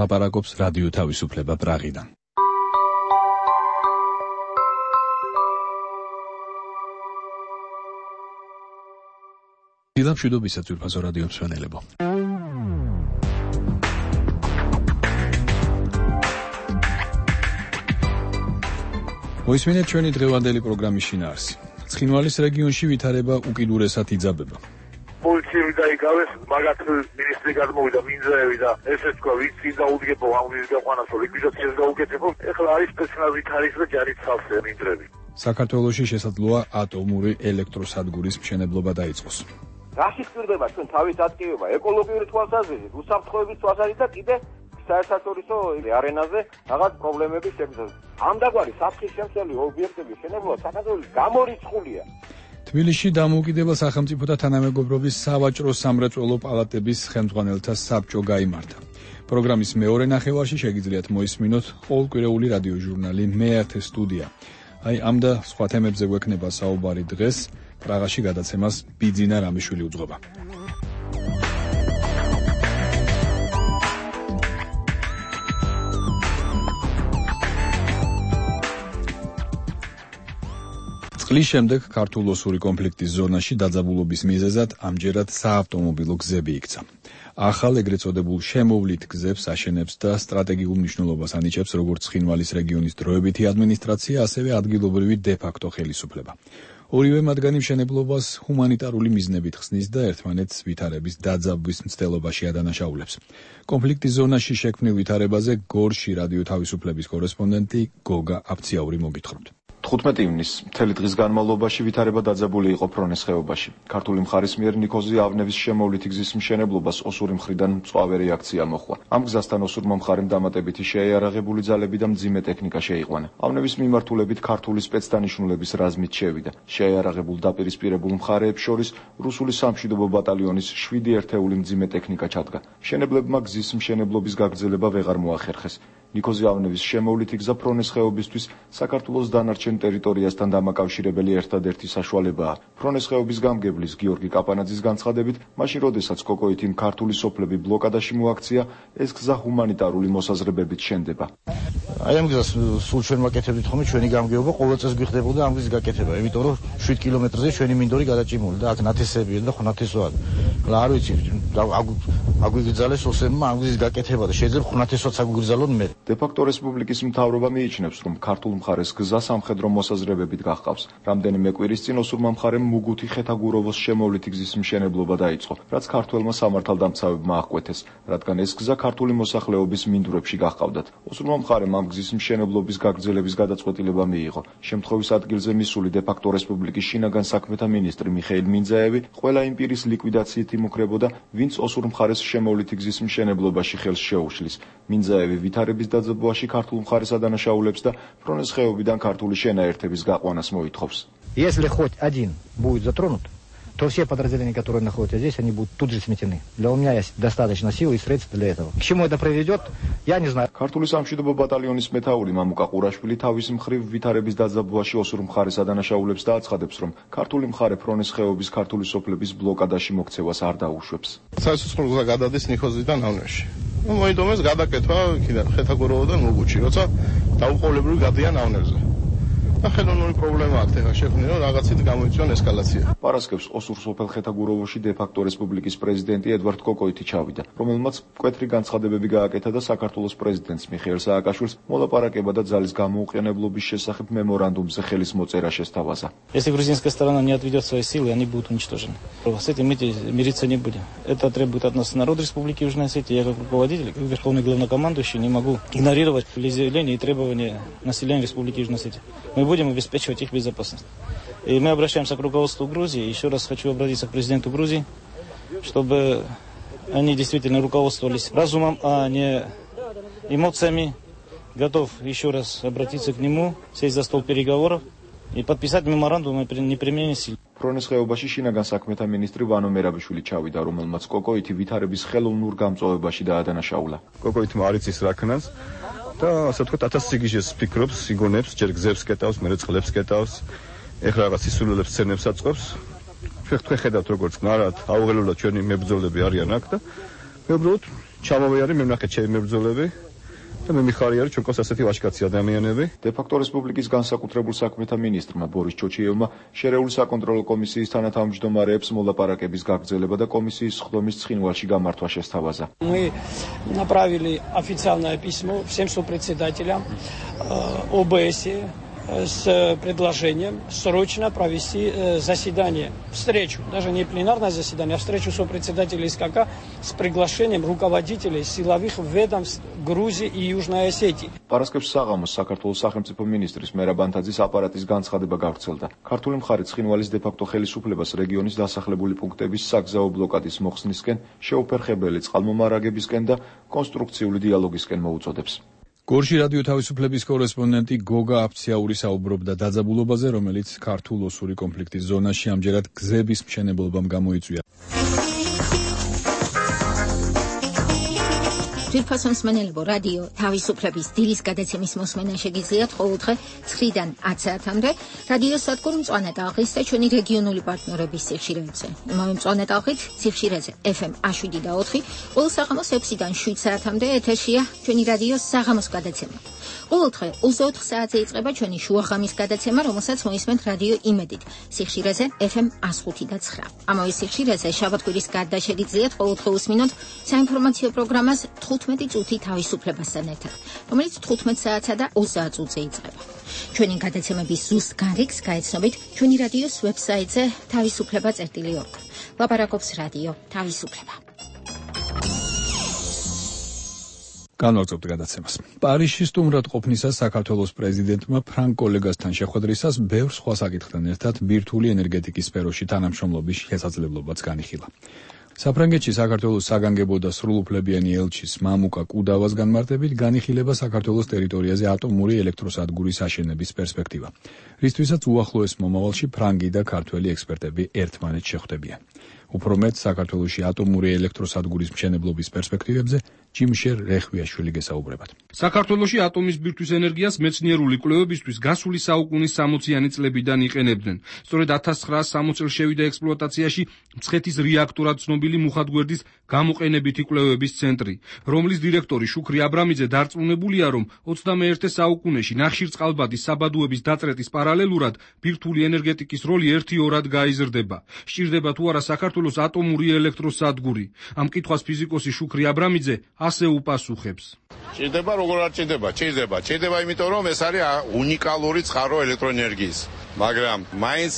ლაპარაკობს რადიო თავისუფლება პრაღიდან. მშვიდობისა ძვირფასო რადიო მსმენელებო. მოისმინეთ ჩვენი დღევანდელი პროგრამის შინაარსი. ცხინვალის რეგიონში ვითარება უკიდურესად იძაბება. პოლიციები დაიკავეს, მაგათ მინისტრი გადმოვიდა მინძაევი და ესე თქვა, ვინც წინდა უდგებო ამ ვის გაყვანას, ლიკვიდაციას გაუკეთებო. ეხლა არის სპეციალური თარიღი და ჯარით სავსე მინდრები. საქართველოში შესაძლოა ატომური ელექტროსადგურის მშენებლობა დაიწყოს. რაში გვერდება ჩვენ თავის აქტივობა, ეკოლოგიური თვალსაზრისით, უსაფრთხოების თვალსაზრისით და კიდე საერთაშორისო არენაზე რაღაც პრობლემები შეგვიძლია. ამდაგვარი საფრთხის შემცველი ობიექტების შენებლობა საქართველოს გამორიცხულია. თბილისში დამოუკიდებელ სახელმწიფოთა თანამეგობრობის სავაჭრო სამრეწველო პალატების ხელმძღვანელთა საბჭო გაიმართა. პროგრამის მეორე ნახევარში შეგიძლიათ მოისმინოთ ყოველკვირეული რადიო ჟურნალი მე-10 სტუდია. აი ამ და სხვა თემებზე გვექნება საუბარი დღეს. პრაღაში გადაცემას ბიძინა რამიშვილი უძღვება. წყლის შემდეგ ქართულ-ოსური კონფლიქტის ზონაში დაძაბულობის მიზეზად ამჯერად საავტომობილო გზები იქცა. ახალ ეგრეთ წოდებულ შემოვლით გზებს აშენებს და სტრატეგიულ მნიშვნელობას ანიჭებს როგორც ცხინვალის რეგიონის დროებითი ადმინისტრაცია, ასევე ადგილობრივი დე-ფაქტო ხელისუფლება. ორივე მათგანი მშენებლობას ჰუმანიტარული მიზნებით ხსნის და ერთმანეთს ვითარების დაძაბვის მცდელობაში ადანაშაულებს. კონფლიქტის ზონაში შექმნილ ვითარებაზე გორში რადიო თავისუფლების კორესპონდენტი გოგა აფციაური მოგითხრობთ. 15 ივნის მთელი დღის განმავლობაში ვითარება დაძაბული იყო ფრონეს ხეობაში. ქართული მხარის მიერ ნიქოზი ავნების შემოვლითი გზის მშენებლობას ოსური მხრიდან მწვავე რეაქცია მოჰყვა. ამ გზასთან ოსურმა მხარემ დამატებითი შეიარაღებული ძალები და მძიმე ტექნიკა შეიყვანა. ავნების მიმართულებით ქართული სპეცდანიშნულების რაზმით შევიდა. შეიარაღებულ დაპირისპირებულ მხარეებს შორის რუსული სამშვიდობო ბატალიონის 7 ერთეული მძიმე ტექნიკა ჩადგა. მშენებლებმა გზის მშენებლობის გაგრძელება ვეღარ მოახერხეს. ნიქოზი ავნების შემოვლითი გზა ფრონეს ხეობისთვის საქართველოს დანარჩენ ტერიტორიასთან დამაკავშირებელი ერთადერთი საშუალებაა. ფრონეს ხეობის გამგებლის გიორგი კაპანაძის განცხადებით, მაშინ როდესაც კოკოითიმ ქართული სოფლები ბლოკადაში მოაქცია, ეს გზა ჰუმანიტარული მოსაზრებებით შენდება. აი ამ გზას სულ ჩვენ ვაკეთებდით ხოლმე ჩვენი გამგეობა, ყოველ წელს გვიხდებოდა ამ გზის გაკეთება, იმიტომ რომ 7 კილომეტრზე ჩვენი მინდორი გადაჭიმული და აქ ნათესებია და ხო ნათესოა. და არ ვიცი, აგვიგრძალეს ოსებმა ამ გზის გაკეთება და შეიძლება ხუნათესოც აგვიგრძალონ მე. დე-ფაქტო რესპუბლიკის მთავრობა მიიჩნევს, რომ ქართულ მხარეს გზა სამხედრო მოსაზრებებით გახყავს. რამდენიმე კვირის წინ ოსურმა მხარემ მუგუთი ხეთაგუროვოს შემოვლითი გზის მშენებლობა დაიწყო, რაც ქართველმა სამართალდამცავებმა აღკვეთეს, რადგან ეს გზა ქართული მოსახლეობის მინდვრებში გაჰყავდათ. ოსურმა მხარემ ამ გზის მშენებლობის გაგრძელების გადაწყვეტილება მიიღო. შემთხვევის ადგილზე მისული დე-ფაქტო რესპუბლიკის შინაგან საქმეთა მინისტრი მიხეილ მინძაევი ყველა იმ პირის ლიკვიდაციით იმუქრებოდა, ვინც ოსურ მხარეს შემოვლითი გზის მშენებლობაში ხელს შეუშლის. მინძაევი ვითარების დაძაბვაში ქართულ მხარეს ადანაშაულებს და ფრონეს ხეობიდან ქართული შენაერთების გაყვანას მოითხოვს. Если хоть один будет затронут, то все подразделения, которые находятся здесь, они будут тут же сметены. Для меня есть достаточно сил и средств для этого. К чему это приведет, я не знаю. ქართული სამშვიდობო ბატალიონის მეთაური მამუკა ყურაშვილი თავის მხრივ ვითარების დაძაბვაში ოსურ მხარეს ადანაშაულებს და აცხადებს, რომ ქართული მხარე ფრონეს ხეობის ქართული სოფლების ბლოკადაში მოქცევას არ დაუშვებს. საერთო გზა გადადის ნიქოზიდან ავნებში. მოიდომეს გადაკეთვა იქიდან ხეთაგუროვოდან მუგუჩი, როცა დაუყოვნებლივ გადიან ავნებზე. და ხელოვნური პრობლემა აქვს ეხლა შექმნილი, რომ რაღაცით გამოიწვია ესკალაცია. პარასკევს ოსურ სოფელ ხეთაგუროვოში დე-ფაქტო რესპუბლიკის პრეზიდენტი ედვარდ კოკოითი ჩავიდა, რომელმაც მკვეთრი განცხადებები გააკეთა და საქართველოს პრეზიდენტს მიხეილ სააკაშვილს მოლაპარაკება და ძალის გამოუყენებლობის შესახებ მემორანდუმზე ხელის მოწერა შესთავაზა. Если грузинская сторона не отведет свои силы, они будут уничтожены. С этим мы мириться не будем. Это требует от нас народ Республики Южной Осетии. Я как руководитель, как верховный главнокомандующий не могу игнорировать волеизъявления и требования населения Республики Южной Осетии. Мы будем обеспечивать их безопасность. И мы обращаемся к руководству Грузии. Еще раз хочу обратиться к президенту Грузии, чтобы они действительно руководствовались разумом, а не эмоциями. Готов еще раз обратиться к нему, сесть за стол переговоров и подписать меморандум о неприменении сил. ფრონეს ხეობაში შინაგან საქმეთა მინისტრი ვანო მერაბიშვილი ჩავიდა, რომელმაც კოკოითი ვითარების ხელოვნურ გამწვავებაში დაადანაშაულა. კოკოითმა არ იცის რა ქნას და ასე ვთქვათ 1000 სიგიჟეს ფიქრობს, იგონებს, ჯერ გზებს კეტავს, მერე წყლებს კეტავს, ეხლა რაღაც სისულელებს ცენებს აწყობს. თქვენ ხედავთ როგორც ნარად აუღელებლად ჩვენი მებრძოლები არიან აქ და მე უბრალოდ ჩამოვიარე, მე ვნახე ჩემი მებრძოლები და მე მიხარი არის ჩვენ ყავს ასეთი ვაჟკაცი ადამიანები. დე-ფაქტო რესპუბლიკის განსაკუთრებულ საქმეთა მინისტრმა ბორის ჩოჩიევმა შერეული საკონტროლო კომისიის თანათავმჯდომარეებს მოლაპარაკების გაგრძელება და комиссიის სხდომის ცხინვალში გამართვა შესთავაზა. Мы направили официальное письмо всем сопредседателям ОБС с предложением срочно провести заседание, встречу, даже не пленарное заседание, а встречу сопредседателей СКК с приглашением руководителей силовых ведомств Грузии и Южной Осетии. Параскევს საღამოს საქართველოს სახელმწიფო მინისტრის მერაბ ანთაძის აპარატის განცხადება გავრცელდა. ქართული მხარი ცხინვალის დე-ფაქტო ხელისუფლებას რეგიონის დასახლებული პუნქტების საგზაო ბლოკადის მოხსნისკენ, შეუფერხებელი წყალმომარაგებისკენ და კონსტრუქციული დიალოგისკენ მოუწოდებს. გორში რადიო თავისუფლების კორესპონდენტი გოგა აფციაური საუბრობდა დაძაბულობაზე, რომელიც ქართულ-ოსური კონფლიქტის ზონაში ამჯერად გზების მშენებლობამ გამოიწვია. ძვირფასო მსმენელებო, რადიო თავისუფლების დილის გადაცემის მოსმენა შეგიძლიათ ყოველდღე 9-დან 10 საათამდე რადიო სადგურ მწვანე ტალღის და ჩვენი რეგიონული პარტნიორების სიხშირეებზე. იმავე მწვანე ტალღით სიხშირეზე FM 7 და 4, ყოველ საღამოს 6-დან 7 საათამდე ეთერშია ჩვენი რადიოს საღამოს გადაცემა. ყოველდღე 24 საათზე იწყება ჩვენი შუაღამის გადაცემა, რომელსაც მოისმენთ რადიო იმედით სიხშირეზე FM 105 და 9. ამავე სიხშირეზე შაბათ-კვირის გარდა შეგიძლიათ ყოველდღე უსმინოთ საინფორმაციო პროგრამას 15 წუთი თავისუფლებასთან ერთად, რომელიც 15 საათსა და 20 წუთზე იწყება. ჩვენი გადაცემების ზუსტ გარიგს გაეცნობით ჩვენი რადიოს ვებსაიტზე თავისუფლება.org. ლაპარაკობს რადიო თავისუფლება. განვაგრძობთ გადაცემას. პარიზში სტუმრად ყოფნისას საქართველოს პრეზიდენტმა ფრანგ კოლეგასთან შეხვედრისას ბევრ სხვა საკითხთან ერთად ბირთვული ენერგეტიკის სფეროში თანამშრომლობის შესაძლებლობაც განიხილა. საფრანგეთში საქართველოს საგანგებო და სრულუფლებიანი ელჩის მამუკა კუდავას განმარტებით განიხილება საქართველოს ტერიტორიაზე ატომური ელექტროსადგურის აშენების პერსპექტივა, რისთვისაც უახლოეს მომავალში ფრანგი და ქართველი ექსპერტები ერთმანეთს შეხვდებიან. უფრო მეტ საქართველოში ატომური ელექტროსადგურის მშენებლობის პერსპექტივებზე ჯიმშერ რეხვიაშვილი გესაუბრებათ. საქართველოში ატომის ბირთვის ენერგიას მეცნიერული კვლევებისთვის გასული საუკუნის 60-იანი წლებიდან იყენებდნენ. სწორედ 1960 წელს შევიდა ექსპლუატაციაში მცხეთის რეაქტორად ცნობილი მუხათგვერდის გამოყენებითი კვლევების ცენტრი, რომლის დირექტორი შუქრი აბრამიძე დარწმუნებულია, რომ 21 საუკუნეში ნახშირწყალბადის საბადოების დაწრეტის პარალელურად ბირთვული ენერგეტიკის როლი ერთი-ორად გაიზრდება. სჭირდება თუ არა საქართველოს ატომური ელექტროსადგური? ამ კითხვას ფიზიკოსი შუქრი აბრამიძე ასე უპასუხებს. ჭირდება, როგორ არ ჭირდება? ჭირდება, იმიტომ რომ ეს არის უნიკალური წყარო ელექტროენერგიის. მაგრამ მაინც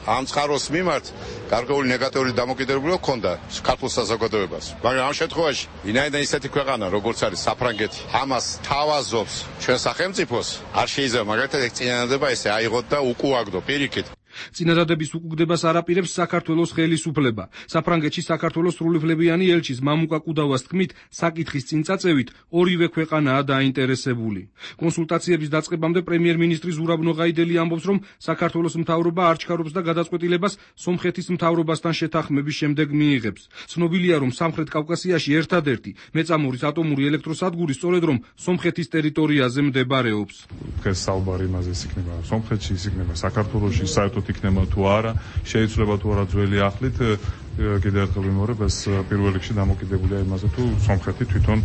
ამ წყაროს მიმართ გარკვეული ნეგატიური დამოკიდებულება ჰქონდა ქართულ საზოგადოებას. მაგრამ ამ შემთხვევაში, ვინაიდან ისეთი ქვეყანა, როგორც არის საფრანგეთი, ამას თავაზობს ჩვენ სახელმწიფოს, არ შეიძლება მაგალითად ეს წინადადება ესე აიღოთ და უკუაგდო პირიქით. წინადადების უკუგდებას არაპირებს საქართველოს ხელისუფლება. საფრანგეთში საქართველოს სრულუფლებიანი ელჩის მამუკა კუდავას თქმით, საკითხის წინ წაწევით ორივე ქვეყანაა დაინტერესებული. კონსულტაციების დაწყებამდე პრემიერ-მინისტრი ზურაბ ნოღაიდელი ამბობს, რომ საქართველოს მთავრობა არ ჩქარობს და გადაწყვეტილებას სომხეთის მთავრობასთან შეთანხმების შემდეგ მიიღებს. ცნობილია, რომ სამხრეთ კავკასიაში ერთადერთი მეწამორის ატომური ელექტროსადგური სწორედ რომ სომხეთის ტერიტორიაზე მდებარეობს. დღეს საუბარი იმაზე იქნება, სომხეთში იქნება, საქართველოში საერთოდ იქნება თუ არა, შეიძლება თუ არა ძველი ახლით, კიდევ ერთხელ ვიმეორებ, ეს პირველ რიგში დამოკიდებულია იმაზე, თუ სომხეთი თვითონ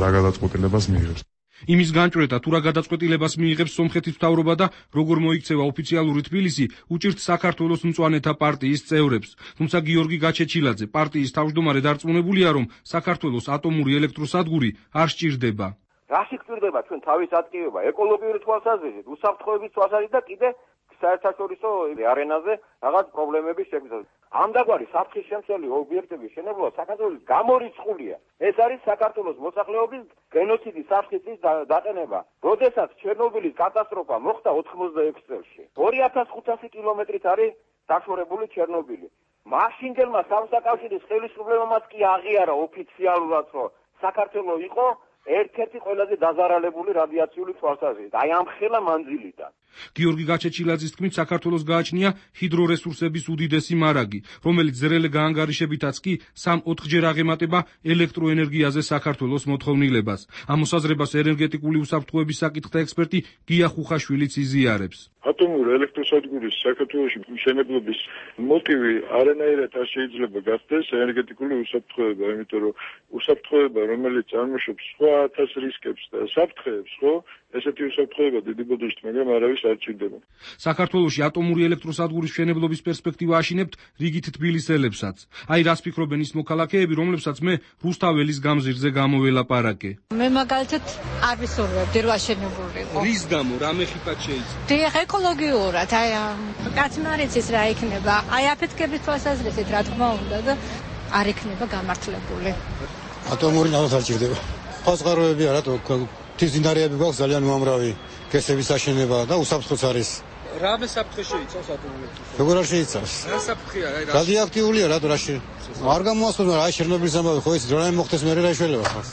რა გადაწყვეტილებას მიიღებს. იმის განჭვრეტა თუ რა გადაწყვეტილებას მიიღებს სომხეთის მთავრობა და როგორ მოიქცევა ოფიციალური თბილისი, უჭირთ საქართველოს მწვანეთა პარტიის წევრებს. თუმცა გიორგი გაჩეჩილაძე, პარტიის თავმჯდომარე, დარწმუნებულია, რომ საქართველოს ატომური ელექტროსადგური არ სჭირდება. რაში გვჭირდება ჩვენ თავის ატკივება, ეკოლოგიური თვალსაზრისით, უსაფრთხოების თვალსაზრისით და კიდე საერთაშორისო არენაზე რაღაც პრობლემების შეგვიძლია. ამდაგვარი საფრთხის შემცველი ობიექტების შენებლობა საქართველოს გამორიცხულია. ეს არის საქართველოს მოსახლეობის გენოციდის საფრთხის დაყენება. როდესაც ჩერნობილის კატასტროფა მოხდა 86 წელს. 2500 კილომეტრით არის დაშორებული ჩერნობილი. მაშინდელმა სამსაკავშირის ხელისუფლებამაც კი აღიარა ოფიციალურად, რომ საქართველოს იყო ერთ-ერთი ყველაზე დაზარალებული რადიაციული თვალსაზრისით, აი ამ ხელა მანძილიდან. გიორგი გაჩეჩილაძის თქმით, საქართველოს გააჩნია ჰიდრორესურსების უდიდესი მარაგი, რომელიც ზრელი გაანგარიშებითაც კი 3-4ჯერ აღემატება ელექტროენერგიაზე საქართველოს მოთხოვნილებას. ამ მოსაზრებას ენერგეტიკული უსაფრთხოების საკითხთა ექსპერტი გია ხუხაშვილიც იზიარებს. ატომური ელექტროსადგურის საქართველოში მშენებლობის მოტივი არანაირად არ შეიძლება გახდეს ენერგეტიკული უსაფრთხოება, იმიტომ რომ უსაფრთხოება, რომელიც წარმოშობს სხვა 1000 რისკებს და საფრთხეებს, ხო, ესეთი უსაფრთხოება დიდი ბოდიშით, მაგრამ არავის არ ჭირდება. საქართველოში ატომური ელექტროსადგურის მშენებლობის პერსპექტივა აშინებთ რიგით თბილისელებსაც. აი რას ფიქრობენ ის მოქალაქეები, რომლებსაც მე რუსთაველის გამზირზე გამოველაპარაკე. მე მაგალითად არ ვისურვებდი რომ აშენებულიყო. რის გამო, რა მეხიფად შეიძლება? დიახ, ეკოლოგიურად, აი კაცმა არ იცის რა იქნება. აი აფეთქების თვალსაზრისით რა თქმა უნდა და არ იქნება გამართლებული. ატომური ნავთობი არ ჭირდება. ფასყაროები არა, თიზინარიები გვაქვს ძალიან უამრავი, კესების აშენება და უსაფრთხოც არის. რა საფრთხე შეიცავს ატომური ელექტროსადგური? როგორ არ შეიცავს? რა საფრთხეა, აი რა? რადიოაქტიულია რა რაში. არ გამოასწორა რა შერნობილის ამბავი ხო ის რა მოხდეს მე რა შეიძლება ხარ.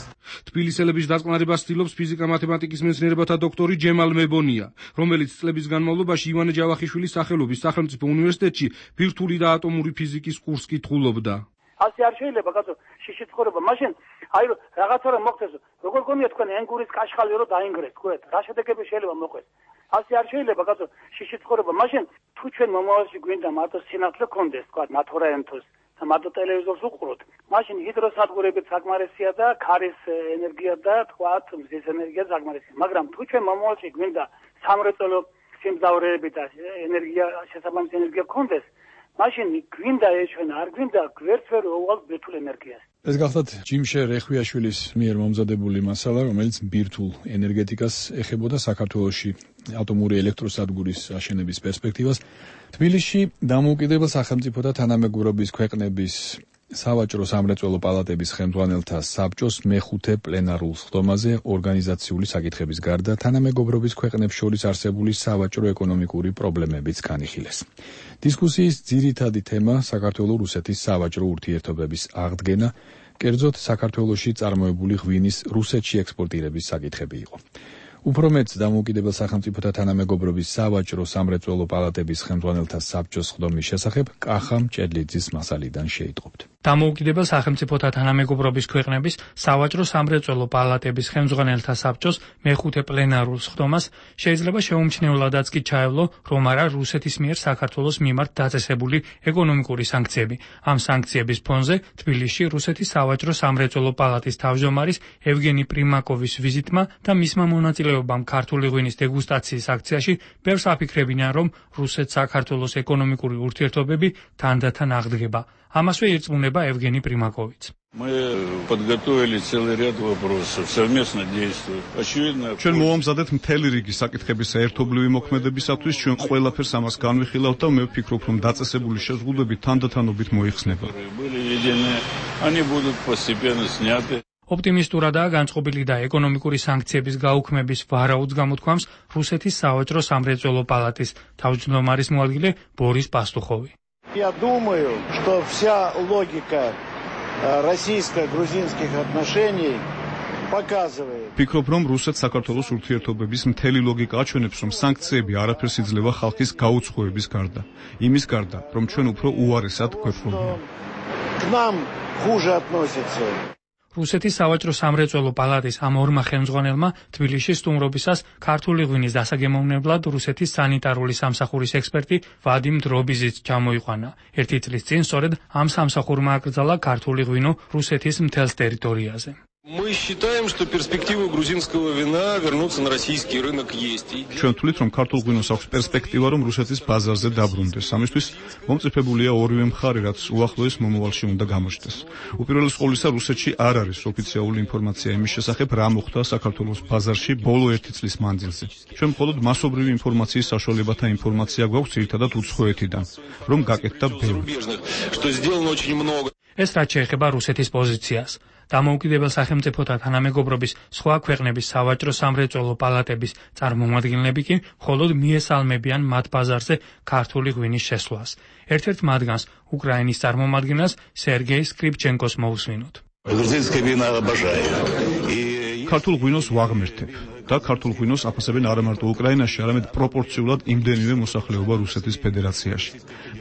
თბილისელების დაწყნარებას ცდილობს ფიზიკა-მათემატიკის მეცნიერებათა დოქტორი ჯემალ მებონია, რომელიც წლების განმავლობაში ივანე ჯავახიშვილის სახელობის სახელმწიფო უნივერსიტეტში ბირთვული და ატომური ფიზიკის კურსს კითხულობდა. ასე არ შეიძლება კაცო შიში ცხოვრება. მაშინ აი რაღაცა რომ მოხდეს, როგორ გონია თქვენ ენგურის კაშხალი რომ დაინგრეს, თქვენ რა შედეგები შეიძლება მოხდეს. ასე არ შეიძლება კაცო შიში ცხოვრება. მაშინ თუ ჩვენ მომავალში გვინდა მარტო სინათლე გქონდეს, თქვა ნათორაენთოს და მარტო ტელევიზორს უყუროთ, მაშინ ჰიდროსადგურებით საკმარისია და ქარის ენერგია და თქვა მზის ენერგია საკმარისია. მაგრამ თუ ჩვენ მომავალში გვინდა სამრეწველო სიმძლავრეები და ენერგია შესაბამისი ენერგია გქონდეს, მაშინ გვინდა ეს ჩვენ არ გვინდა გვერდს ვერ უვალ ბირთვულ ენერგიას. ეს გახლავთ ჯიმშე რეხვიაშვილის მიერ მომზადებული მასალა, რომელიც ბირთვულ ენერგეტიკას ეხებოდა საქართველოში ატომური ელექტროსადგურის აშენების პერსპექტივას. თბილისში დამოუკიდებელ სახელმწიფოთა თანამეგობრობის ქვეყნების სავაჭრო სამრეწველო პალატების ხელმძღვანელთა საბჭოს მეხუთე პლენარულ სხდომაზე ორგანიზაციული საკითხების გარდა თანამეგობრობის ქვეყნებს შორის არსებული სავაჭრო-ეკონომიკური პრობლემებიც განიხილეს. დისკუსიის ძირითადი თემა საქართველო-რუსეთის სავაჭრო ურთიერთობების აღდგენა, კერძოდ საქართველოში წარმოებული ღვინის რუსეთში ექსპორტირების საკითხები იყო. უფრო მეტს დამოუკიდებელ სახელმწიფოთა თანამეგობრობის სავაჭრო სამრეწველო პალატების ხელმძღვანელთა საბჭოს სხდომის შესახებ კახა მჭედლიძის მასალიდან შეიტყობთ. დამოუკიდებელ სახელმწიფოთა თანამეგობრობის ქვეყნების სავაჭრო სამრეწველო პალატების ხელმძღვანელთა საბჭოს მეხუთე პლენარულ სხდომას შეიძლება შეუმჩნევლადაც კი ჩაევლო, რომ არა რუსეთის მიერ საქართველოს მიმართ დაწესებული ეკონომიკური სანქციები. ამ სანქციების ფონზე თბილისში რუსეთის სავაჭრო სამრეწველო პალატის თავმჯდომარის ევგენი პრიმაკოვის ვიზიტმა და მისმა მონაწილეობამ ქართული ღვინის დეგუსტაციის აქციაში ბევრს აფიქრებინან, რომ რუსეთ-საქართველოს ეკონომიკური ურთიერთობები თანდათან აღდგება. ამასვე ირწმუნება ევგენი პრიმაკოვიც. ჩვენ მოვამზადეთ მთელი რიგი საკითხების ერთობლივი მოქმედებისათვის, ჩვენ ყველაფერს ამას განვიხილავთ და მე ვფიქრობ, რომ დაწესებული შეზღუდვები თანდათანობით მოიხსნება. ოპტიმისტურადაა განწყობილი და ეკონომიკური სანქციების გაუქმების ვარაუდს გამოთქვამს რუსეთის саваჭრო სამრეწველო палатის თავმჯდომარის მოადგილე ბორის პასტუხოვი. Я думаю, что вся логика российско-грузинских отношений показывает. Ფიქრობ, რომ რუსეთ-საქართველოს ურთიერთობების მთელი ლოგიკა აჩვენებს, რომ სანქციები არაფერს იძლევა ხალხის გაუცხოების გარდა. იმის გარდა, რომ ჩვენ უფრო უარესად გვეფრობიან. К нам хуже относятся. რუსეთის სავაჭრო სამრეწველო პალატის ამ ორმა ხელმძღვანელმა თბილისში სტუმრობისას ქართული ღვინის დასაგემოვნებლად რუსეთის სანიტარული სამსახურის ექსპერტი ვადიმ დრობიზიც ჩამოიყვანა. ერთი წლის წინ სწორედ ამ სამსახურმა აკრძალა ქართული ღვინო რუსეთის მთელს ტერიტორიაზე. Мы считаем, что перспектива грузинского вина вернуться на российский рынок есть. ჩვენ თვლით, რომ ქართულ ღვინოს აქვს პერსპექტივა, რომ რუსეთის ბაზარზე დაბრუნდეს. ამისთვის მომწიფებულია ორივე მხარე, რაც უახლოეს მომავალში უნდა გამოჩნდეს. უპირველეს ყოვლისა, რუსეთში არ არის ოფიციალური ინფორმაცია იმის შესახებ, რა მოხდა საქართველოს ბაზარში ბოლო 1 წლის მანძილზე. ჩვენ მხოლოდ მასობრივი ინფორმაციის საშუალებათა ინფორმაცია გვაქვს ერთადად უცხოეთიდან, რომ გაკეთდა ბევრი. ეს რაც შეეხება რუსეთის პოზიციას. დამოუკიდებელ სახელმწიფოთა თანამეგობრობის სხვა ქვეყნების სავაჭრო სამრეწველო პალატების წარმომადგენლები კი მხოლოდ მიესალმებიან მათ ბაზარზე ქართული ღვინის შესვლას. ერთ-ერთ მათგანს უკრაინის წარმომადგენელს სერგეი სკრიფჩენკოს მოусვინოთ. ქართულ ღვინოს ვაღმერთებ და ქართულ ღვინოს აფასებენ არა მარტო უკრაინაში, არამედ პროპორციულად იმდენივე მოსახლეობა რუსეთის ფედერაციაში.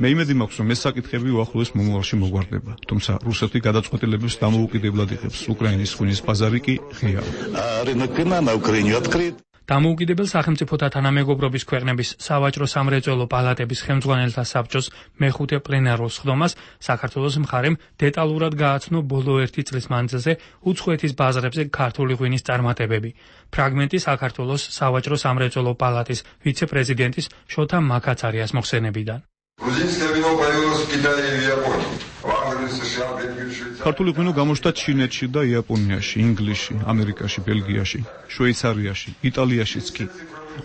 მე იმედი მაქვს, რომ ეს საკითხები უახლოეს მომავალში მოგვარდება. თუმცა რუსეთი გადაწყვეტილებებს დამოუკიდებლად იღებს. უკრაინის ღვინის ბაზარი კი ღიაა. დამოუკიდებელ სახელმწიფოთა თანამეგობრობის ქვეყნების სავაჭრო სამრეწველო პალატების ხელმძღვანელთა საბჭოს მეხუთე პლენარულ სხდომას საქართველოს მხარემ დეტალურად გააცნო ბოლო 1 წლის მანძილზე უცხოეთის ბაზრებზე ქართული ღვინის წარმატებები. ფრაგმენტი საქართველოს სავაჭრო სამრეწველო პალატის ვიცე-პრეზიდენტის შოთა მაკაცარიას მოხსენებიდან. ქართული ღვინო გამოჩნდა ჩინეთში და იაპონიაში, ინგლისში, ამერიკაში, ბელგიაში, შვეიცარიაში, იტალიაშიც კი.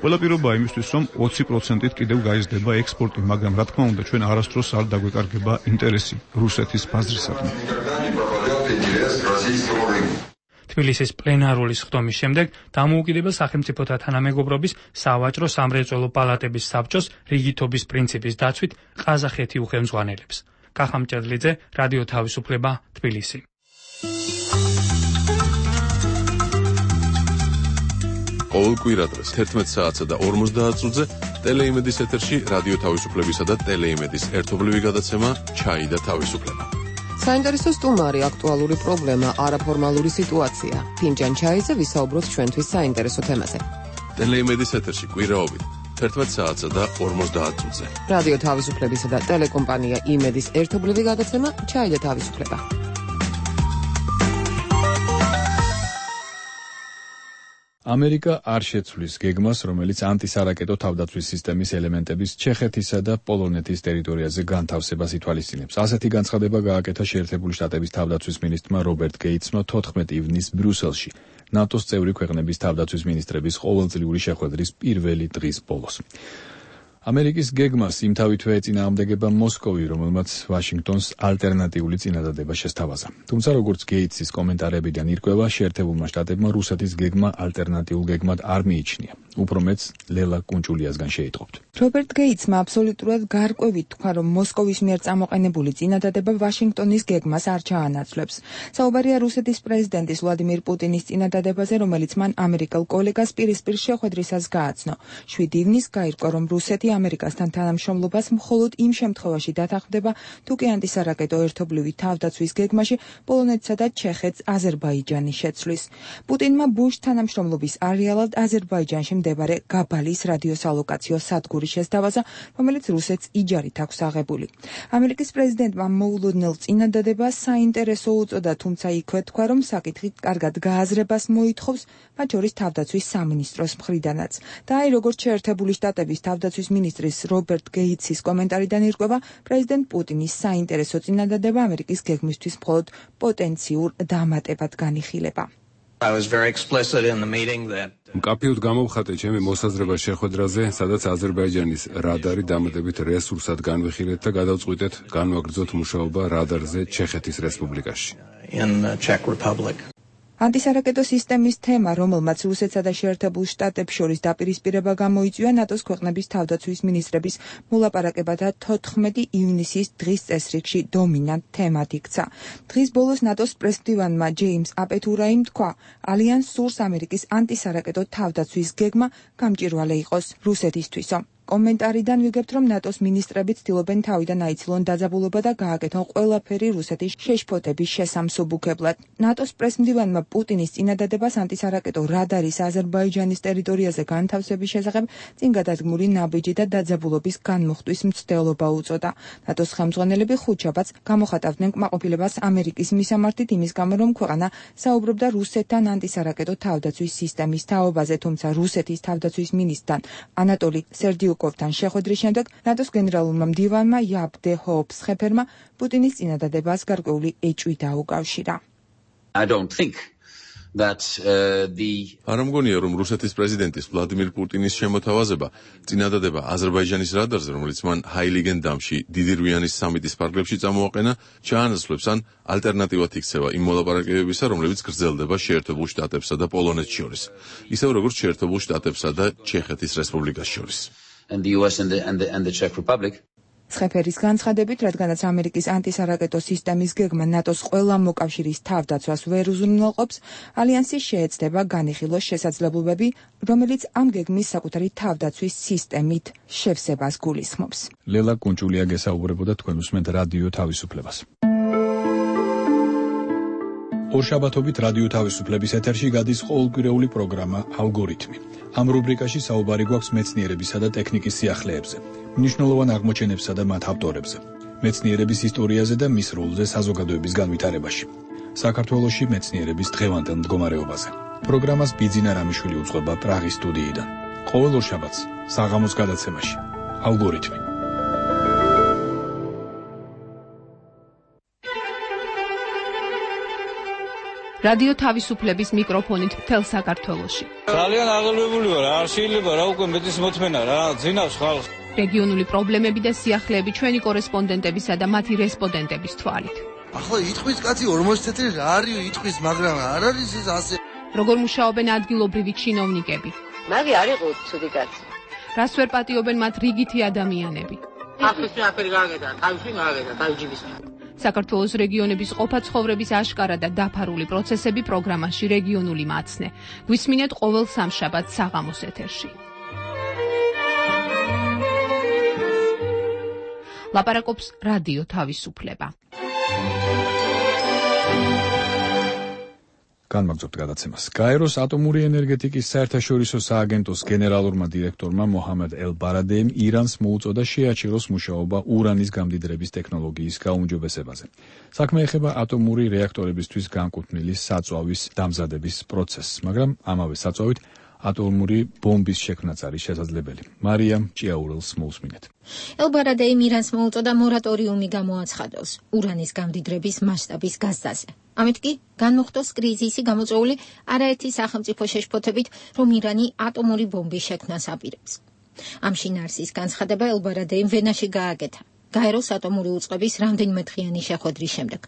ყველა პირობა იმისთვის, რომ 20%-ით კიდევ გაიზრდება ექსპორტი, მაგრამ რა თქმა უნდა, ჩვენ არასდროს არ დაგვეკარგება ინტერესი რუსეთის ბაზრისადმი. თბილისის პლენარული სხდომის შემდეგ დამოუკიდებელ სახელმწიფოთა თანამეგობრობის სავაჭრო სამრეწველო პალატების საბჭოს რიგითობის პრინციპის დაცვით ყაზახეთი უხელმძღვანელებს. კახამ ჭედლიძე, რადიო თავისუფლება, თბილისი. ყოველ კვირადღეს 11 საათსა და 50 წუთზე ტელეიმედის ეთერში რადიო თავისუფლებისა და ტელეიმედის ერთობლივი გადაცემა ჩაი და თავისუფლება. საინტერესო სტუმარი, აქტუალური პრობლემა, არაფორმალური სიტუაცია. ფინჯან ჩაიზე ვისაუბროთ ჩვენთვის საინტერესო თემაზე. ტელეიმედის ეთერში კვირაობით 11 საათსა და 50 წუთზე. რადიო თავისუფლებისა და ტელეკომპანია იმედის ერთობლივი გადაცემა ჩაი და თავისუფლება. ამერიკა არ შეცვლის გეგმას, რომელიც ანტისარაკეტო თავდაცვის სისტემის ელემენტების ჩეხეთისა და პოლონეთის ტერიტორიაზე განთავსებას ითვალისწინებს. ასეთი განცხადება გააკეთა შეერთებული შტატების თავდაცვის მინისტრმა რობერტ გეიტსმა 14 ივნისს ბრიუსელში, ნატოს წევრი ქვეყნების თავდაცვის მინისტრების ყოველწლიური შეხვედრის პირველი დღის ბოლოს. ამერიკის გეგმას იმთავითვე ეწინააღმდეგება მოსკოვი, რომელმაც ვაშინგტონს ალტერნატიული წინადადება შესთავაზა. თუმცა როგორც გეიტსის კომენტარებიდან ირკვევა, შეერთებულმა შტატებმა რუსეთის გეგმა ალტერნატიულ გეგმად არ მიიჩნია. უფრო მეც ლელა კუნჭულიასგან შეიტყობთ. რობერტ გეიტსმა აბსოლუტურად გარკვევით თქვა, რომ მოსკოვის მიერ წამოყენებული წინადადება ვაშინგტონის გეგმას არ ჩაანაცვლებს. საუბარია რუსეთის პრეზიდენტის ვლადიმირ პუტინის წინადადებაზე, რომელიც მან ამერიკელ კოლეგას პირისპირ შეხვედრისას გააცნო. 7 ივნისს გაირკვა, რომ რუსეთი ამერიკასთან თანამშრომლობას მხოლოდ იმ შემთხვევაში დათანხმდება, თუ კი ანტისარაკეტო ერთობლივი თავდაცვის გეგმაში პოლონეთსა და ჩეხეთს აზერბაიჯანი შეცვლის. პუტინმა ბუშ თანამშრომლობის არეალად აზერბაიჯანში მდებარე გაბალის რადიოსალოკაციო სადგური შესთავაზა, რომელიც რუსეთს იჯარით აქვს აღებული. ამერიკის პრეზიდენტმა მოულოდნელ წინადადებას საინტერესო უწოდა, თუმცა იქვე თქვა, რომ საკითხი კარგად გააზრებას მოითხოვს, მათ შორის თავდაცვის სამინისტროს მხრიდანაც. და აი როგორც შეერთებული შტატების თავდაცვის მინისტრის რობერტ გეიტსის კომენტარიდან ირკვევა, პრეზიდენტ პუტინის საინტერესო წინადადება ამერიკის გეგმისთვის მხოლოდ პოტენციურ დამატებად განიხილება. მკაფიოდ გამოვხატე ჩემი მოსაზრება შეხვედრაზე, სადაც აზერბაიჯანის რადარი დამატებით რესურსად განვიხილეთ და გადავწყვიტეთ განვაგრძოთ მუშაობა რადარზე ჩეხეთის რესპუბლიკაში. ანტისარაკეტო სისტემის თემა, რომელმაც რუსეთსა და შეერთებულ შტატებს შორის დაპირისპირება გამოიწვია, ნატოს ქვეყნების თავდაცვის მინისტრების მოლაპარაკებათა 14 ივნისის დღის წესრიგში დომინანტ თემად იქცა. დღის ბოლოს ნატოს პრესმდივანმა ჯეიმს აპეთურაიმ თქვა, ალიანსს სურს ამერიკის ანტისარაკეტო თავდაცვის გეგმა გამჭვირვალე იყოს რუსეთისთვისო. კომენტარიდან ვიგებთ, რომ ნატოს მინისტრები ცდილობენ თავიდან აიცილონ დაძაბულობა და გააკეთონ ყველაფერი რუსეთის შეშფოთების შესამსუბუქებლად. ნატოს პრესმდივანმა პუტინის წინადადებას ანტისარაკეტო რადარის აზერბაიჯანის ტერიტორიაზე განთავსების შესახებ წინგადადგმული ნაბიჯი და დაძაბულობის განმუხტვის მცდელობა უწოდა. ნატოს ხელმძღვანელები ხუთშაბათს გამოხატავდნენ კმაყოფილებას ამერიკის მისამართით იმის გამო, რომ ქვეყანა საუბრობდა რუსეთთან ანტისარაკეტო თავდაცვის სისტემის თაობაზე, თუმცა რუსეთის თავდაცვის მინისტრთან ანატოლი სერდიუკოვთან შეხვედრის შემდეგ ნატოს გენერალურმა მდივანმა იაბდე ჰოუფსხეფერმა პუტინის წინადადებას გარკვეული ეჭვი დაუკავშირა. არ მგონია, რომ რუსეთის პრეზიდენტის ვლადიმირ პუტინის შემოთავაზება წინადადება აზერბაიჯანის რადარზე, რომელიც მან ჰაილიგენდამში დიდი რვიანის სამიტის ფარგლებში წამოაყენა, ჩაანაცვლებს ან ალტერნატივად იქცევა იმ მოლაპარაკებებისა, რომლებიც გრძელდება შეერთებულ შტატებსა და პოლონეთს შორის, ისევ როგორც შეერთებულ შტატებსა და ჩეხეთის რესპუბლიკას შორის. სხეფერის განცხადებით, რადგანაც ამერიკის ანტისარაკეტო სისტემის გეგმა ნატოს ყველა მოკავშირის თავდაცვას ვერ უზრუნველყოფს, ალიანსი შეეცდება განიხილოს შესაძლებლობები, რომელიც ამ გეგმის საკუთარი თავდაცვის სისტემით შევსებას გულისხმობს. ლელა კუნჭულია გესაუბრებოდა თქვენ უსმენთ რადიო თავისუფლებას. ორშაბათობით რადიო თავისუფლების ეთერში გადის ყოველკვირეული პროგრამა ალგორითმი. ამ რუბრიკაში საუბარი გვაქვს მეცნიერებისა და ტექნიკის სიახლეებზე, მნიშვნელოვან აღმოჩენებსა და მათ ავტორებზე, მეცნიერების ისტორიაზე და მის როლზე საზოგადოების განვითარებაში. საქართველოში მეცნიერების დღევანდელ მდგომარეობაზე. პროგრამას ბიძინა რამიშვილი უძღვება პრაღის სტუდიიდან. ყოველ ორშაბათს საღამოს გადაცემაში ალგორითმი. რადიო თავისუფლების მიკროფონით მთელ საქართველოში. ძალიან აღელვებული ვარ, არ შეიძლება რა უკვე მეტის მოთმენა რა, ძინავს ხალხს. რეგიონული პრობლემები და სიახლეები ჩვენი კორესპონდენტებისა და მათი რესპონდენტების თვალით. ახლა იტყვის კაცი 40 წელი რა არის იტყვის, მაგრამ არ არის ეს ასე. როგორ მუშაობენ ადგილობრივი ჩინოვნიკები? მაგი არ იყო ცუდი კაცი. რას ვერ პატიობენ მათ რიგითი ადამიანები? ახლა აფერი გააკეთა, თავში გააკეთა, თავჯიბის. საქართველოს რეგიონების ყოფა-ცხოვრების აშკარა და დაფარული პროცესები პროგრამაში რეგიონული მაცნე. გვისმინეთ ყოველ სამშაბათს საღამოს ეთერში. ლაპარაკობს რადიო თავისუფლება. განმაგზავნებთ გადაცემას. გაეროს ატომური ენერგეტიკის საერთაშორისო სააგენტოს გენერალურმა დირექტორმა მოჰამედ ელ-ბარადეიმ ირანს მოუწოდა შეაჩეროს მუშაობა ურანის გამდიდრების ტექნოლოგიის გაუმჯობესებაზე. საქმე ეხება ატომური რეაქტორებისთვის განკუთვნილი საწვავის დამზადების პროცესს, მაგრამ ამავე საწვავით ატომური ბომბის შექმნაც არის შესაძლებელი. მარიამ ჭიაურელს მოусმინეთ. ელ-ბარადეიმ ირანს მოუწოდა მორატორიუმი გამოაცხადოს ურანის გამდიდრების მასშტაბის გაზრდაზე. ამით კი განმოხტოს კრიზისი გამოწვეული არაერთი სახელმწიფო შეშფოთებით, რომ ირანი ატომური ბომბის შექმნას აპირებს. ამ შინაარსის განცხადება ელ-ბარადეიმ ვენაში გააკეთა გაეროს ატომური უწყების რამდენიმე დღიანი შეხვედრის შემდეგ.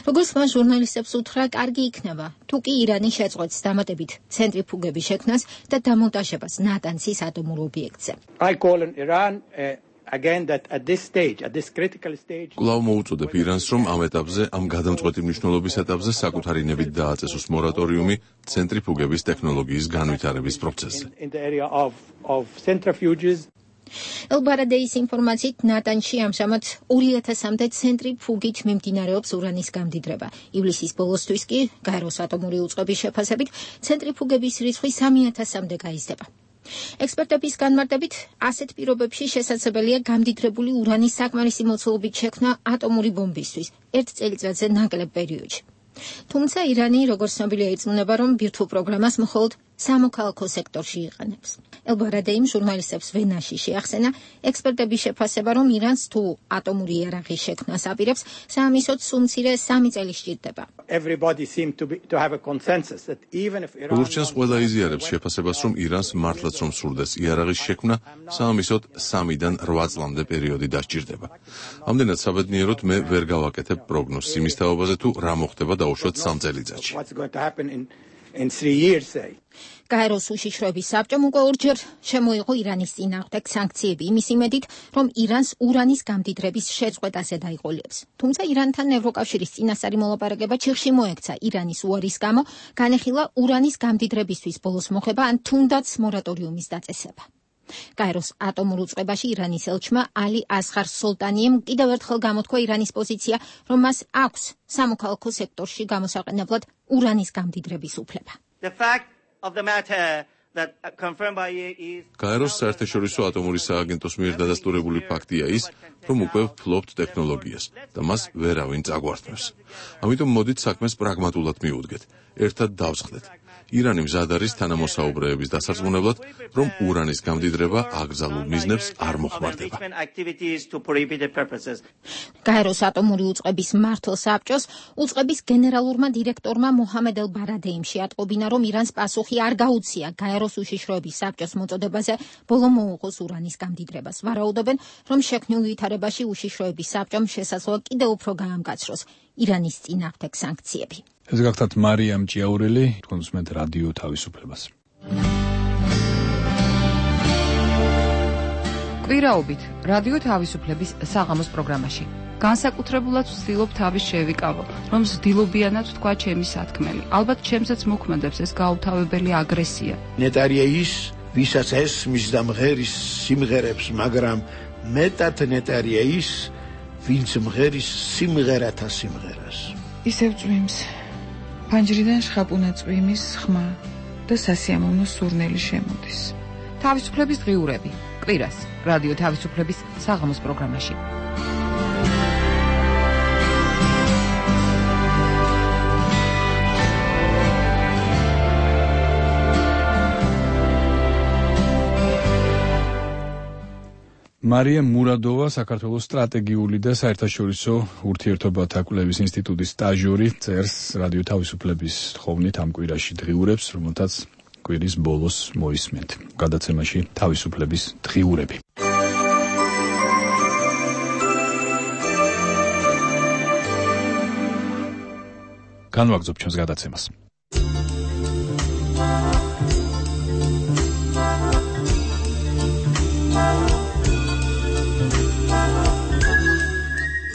როგორც მან ჟურნალისტებს უთხრა, კარგი იქნება, თუ კი ირანი შეწყვეტს დამატებით ცენტრიფუგების შექმნას და დამონტაჟებას ნატანზის ატომურ ობიექტზე. კვლავ მოუწოდებ ირანს, რომ ამ ეტაპზე, ამ გადამწყვეტი მნიშვნელობის ეტაპზე საკუთარი ნებით დააწესოს მორატორიუმი ცენტრიფუგების ტექნოლოგიის განვითარების პროცესზე. ელ-ბარადეის ინფორმაციით ნატანში ამჟამად 2000-მდე ცენტრიფუგით მიმდინარეობს ურანის გამდიდრება. ივლისის ბოლოსთვის კი გაეროს ატომური უწყების შეფასებით ცენტრიფუგების რიცხვი 3000-მდე გაიზრდება. ექსპერტების განმარტებით, ასეთ პირობებში შესაძლებელია გამდიდრებული ურანის საკმარისი მოცულობით შექმნა ატომური ბომბისთვის ერთ წელიწადზე ნაკლებ პერიოდში. თუმცა ირანი, როგორც ცნობილია, იწმუნება, რომ ბირთვულ პროგრამას მხოლოდ სამოქალაქო სექტორში იყენებს. ელ-ბარადეიმ ჟურნალისტებს ვენაში შეახსენა ექსპერტების შეფასება, რომ ირანს თუ ატომური იარაღის შექმნას აპირებს, საამისოდ სულ-მცირე 3 წელი სჭირდება. როგორც ჩანს, ყველა იზიარებს შეფასებას, რომ ირანს მართლაც რომ სურდეს იარაღის შექმნა, საამისოდ 3-დან 8 წლამდე პერიოდი დასჭირდება. ამდენად საბედნიეროდ მე ვერ გავაკეთებ პროგნოზს იმის თაობაზე, თუ რა მოხდება დაუშვათ 3 წელიწადში. გაეროს უშიშროების საბჭომ უკვე ორჯერ შემოიღო ირანის წინააღმდეგ სანქციები იმის იმედით, რომ ირანს ურანის გამდიდრების შეწყვეტაზე დაიყოლებს. თუმცა ირანთან ევროკავშირის წინასწარი მოლაპარაკება ჩიხში მოექცა ირანის უარის გამო, განეხილა ურანის გამდიდრებისთვის ბოლოს მოხება ან თუნდაც მორატორიუმის დაწესება. გაეროს ატომურ უწყებაში ირანის ელჩმა ალი ასხარ სოლტანიემ კიდევ ერთხელ გამოთქვა ირანის პოზიცია, რომ მას აქვს სამოქალაქო სექტორში გამოსაყენებლად ურანის გამდიდრების უფლება. გაეროს საერთაშორისო ატომური სააგენტოს მიერ დადასტურებული ფაქტია ის, რომ უკვე ვფლობთ ტექნოლოგიას და მას ვერავინ წაგვართმევს. ამიტომ მოდით საქმეს პრაგმატულად მიუდგეთ, ერთად დავსხდეთ. ირანი მზად არის თანამოსაუბრეების დასარწმუნებლად, რომ ურანის გამდიდრება აკრძალულ მიზნებს არ მოხმარდება. გაეროს ატომური უწყების მმართველ საბჭოს უწყების გენერალურმა დირექტორმა მოჰამედ ელ-ბარადეიმ შეატყობინა, რომ ირანს პასუხი არ გაუწია გაეროს უშიშროების საბჭოს მოწოდებაზე ბოლო მოუღოს ურანის გამდიდრებას. ვარაუდობენ, რომ შექმნილ ვითარებაში უშიშროების საბჭომ შესაძლოა კიდევ უფრო გაამკაცროს ირანის წინააღმდეგ სანქციები. ეს გახდათ მარიამ ჭიაურელი, თქვენ უსმენთ რადიო თავისუფლებას. კვირაობით რადიო თავისუფლების საღამოს პროგრამაში. განსაკუთრებულად ვცდილობ თავის შევიკავო, რომ ზდილობიანად ვთქვა ჩემი სათქმელი. ალბათ ჩემსაც მოქმედებს ეს გაუთავებელი აგრესია. ნეტარიეის, ვისაც ესმის და მღერის სიმღერებს, მაგრამ მეტად ნეტარიეის, ვინც მღერის სიმღერათა სიმღერას. ისევ წვიმს. ფანჯრიდან შხაპუნა წვიმის ხმა და სასიამოვნო სურნელი შემოდის. თავისუფლების დღიურები. კვირას რადიო თავისუფლების საღამოს პროგრამაში. მარია მურადოვა საქართველოს სტრატეგიული და საერთაშორისო ურთიერთობათა კვლევის ინსტიტუტის სტაჟიორი წერს რადიო თავისუფლების თხოვნით ამ კვირაში დღიურებს, რომელთაც კვირის ბოლოს მოისმენთ. გადაცემაში თავისუფლების დღიურები. განვაგრძობ ჩვენს გადაცემას.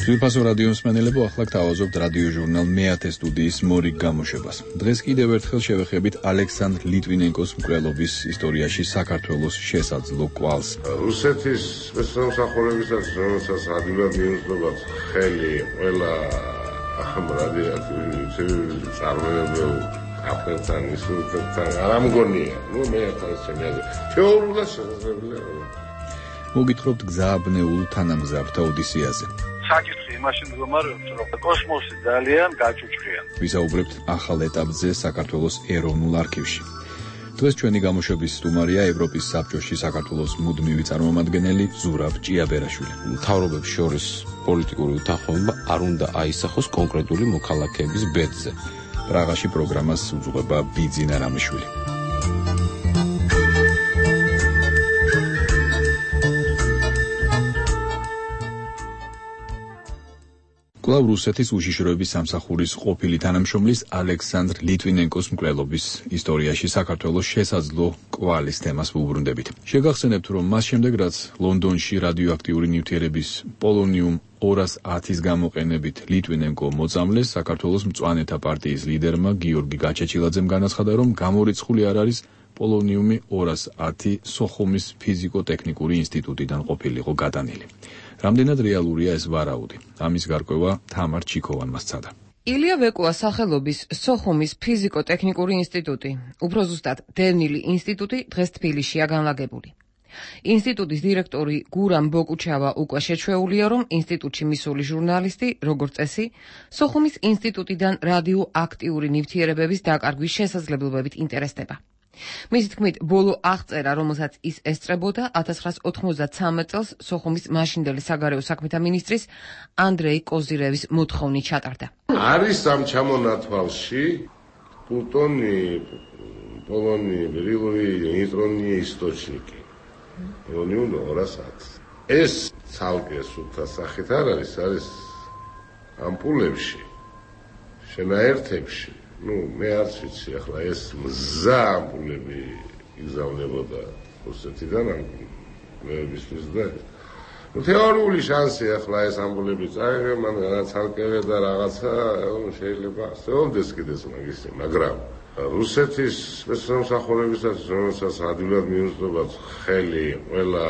ძვირფასო რადიო მსმენელებო, ახლა გთავაზობთ რადიო ჟურნალ მეათე სტუდიის მორიგ გამოშვებას. დღეს კიდევ ერთხელ შევეხებით ალექსანდრ ლიტვინენკოს მკვლელობის ისტორიაში საქართველოს შესაძლო კვალს. რუსეთის სპეცსამსახურებისაც, რომელსაც ადვილად მიუძღებათ ხელი ყველა ამ რადიოაქტიურ წარმოებულ აფეთთან ისურვებთან არ ამგონია. მე ახლა ჩემი აზრით თეორიულად შესაძლებელია. მოგითხრობთ გზააბნეულ თანამგზავრთა ოდისეაზე. საკითხი იმაში მდგომარეობს, რომ კოსმოსი ძალიან გაჭუჭყიან. ვისაუბრებთ ახალ ეტაპზე საქართველოს ეროვნულ არქივში. დღეს ჩვენი გამოშვების სტუმარია ევროპის საბჭოში საქართველოს მუდმივი წარმომადგენელი ზურაბ ჭიაბერაშვილი. მთავრობებს შორის პოლიტიკური უთანხმოება არ უნდა აისახოს კონკრეტული მოქალაქეების ბედზე. პრაღაში პროგრამას უძღვება ბიძინა რამიშვილი. კვლავ რუსეთის უშიშროების სამსახურის ყოფილი თანამშრომლის ალექსანდრ ლიტვინენკოს მკვლელობის ისტორიაში საქართველოს შესაძლო კვალის თემას ვუბრუნდებით. შეგახსენებთ, რომ მას შემდეგ, რაც ლონდონში რადიოაქტიური ნივთიერების პოლონიუმ 210-ის გამოყენებით ლიტვინენკო მოწამლეს, საქართველოს მწვანეთა პარტიის ლიდერმა გიორგი გაჩეჩილაძემ განაცხადა, რომ გამორიცხული არ არის პოლონიუმი 210 სოხუმის ფიზიკო-ტექნიკური ინსტიტუტიდან ყოფილიყო გადანილი. რამდენად რეალურია ეს ვარაუდი? ამის გარკვევა თამარ ჩიქოვანმა სცადა. ილია ვეკუას სახელობის სოხუმის ფიზიკო-ტექნიკური ინსტიტუტი, უფრო ზუსტად დევნილი ინსტიტუტი, დღეს თბილისშია განლაგებული. ინსტიტუტის დირექტორი გურამ ბოკუჩავა უკვე შეჩვეულია, რომ ინსტიტუტში მისული ჟურნალისტი, როგორც წესი, სოხუმის ინსტიტუტიდან რადიოაქტიური ნივთიერებების დაკარგვის შესაძლებლობებით ინტერესდება. მისი თქმით, ბოლო აღწერა, რომელსაც ის ესწრებოდა 1993 წელს სოხუმის მაშინდელი საგარეო საქმეთა მინისტრის ანდრეი კოზირევის მოთხოვნით ჩატარდა. არის ამ ჩამონათვალში პლუტონი, პოლონი, ბერილოვი, ნეიტრონი ისტოჩნიკი. პოლონიუმ 210. ეს ცალკე სუფთა სახით არ არის ამპულებში, შენაერთებში. მე არც ვიცი ახლა ეს მზა ამპულები იგზავნებოდა რუსეთიდან ამ მებისთვის და თეორიული შანსი ახლა ეს ამპულები წაიღე, მაგრამ ცალკევე და რაღაცა შეიძლება ასეულდეს კიდეც მაგისი, მაგრამ რუსეთის სპეცსამსახურებისაც, რომელსაც ადვილად მიუძღებათ ხელი ყველა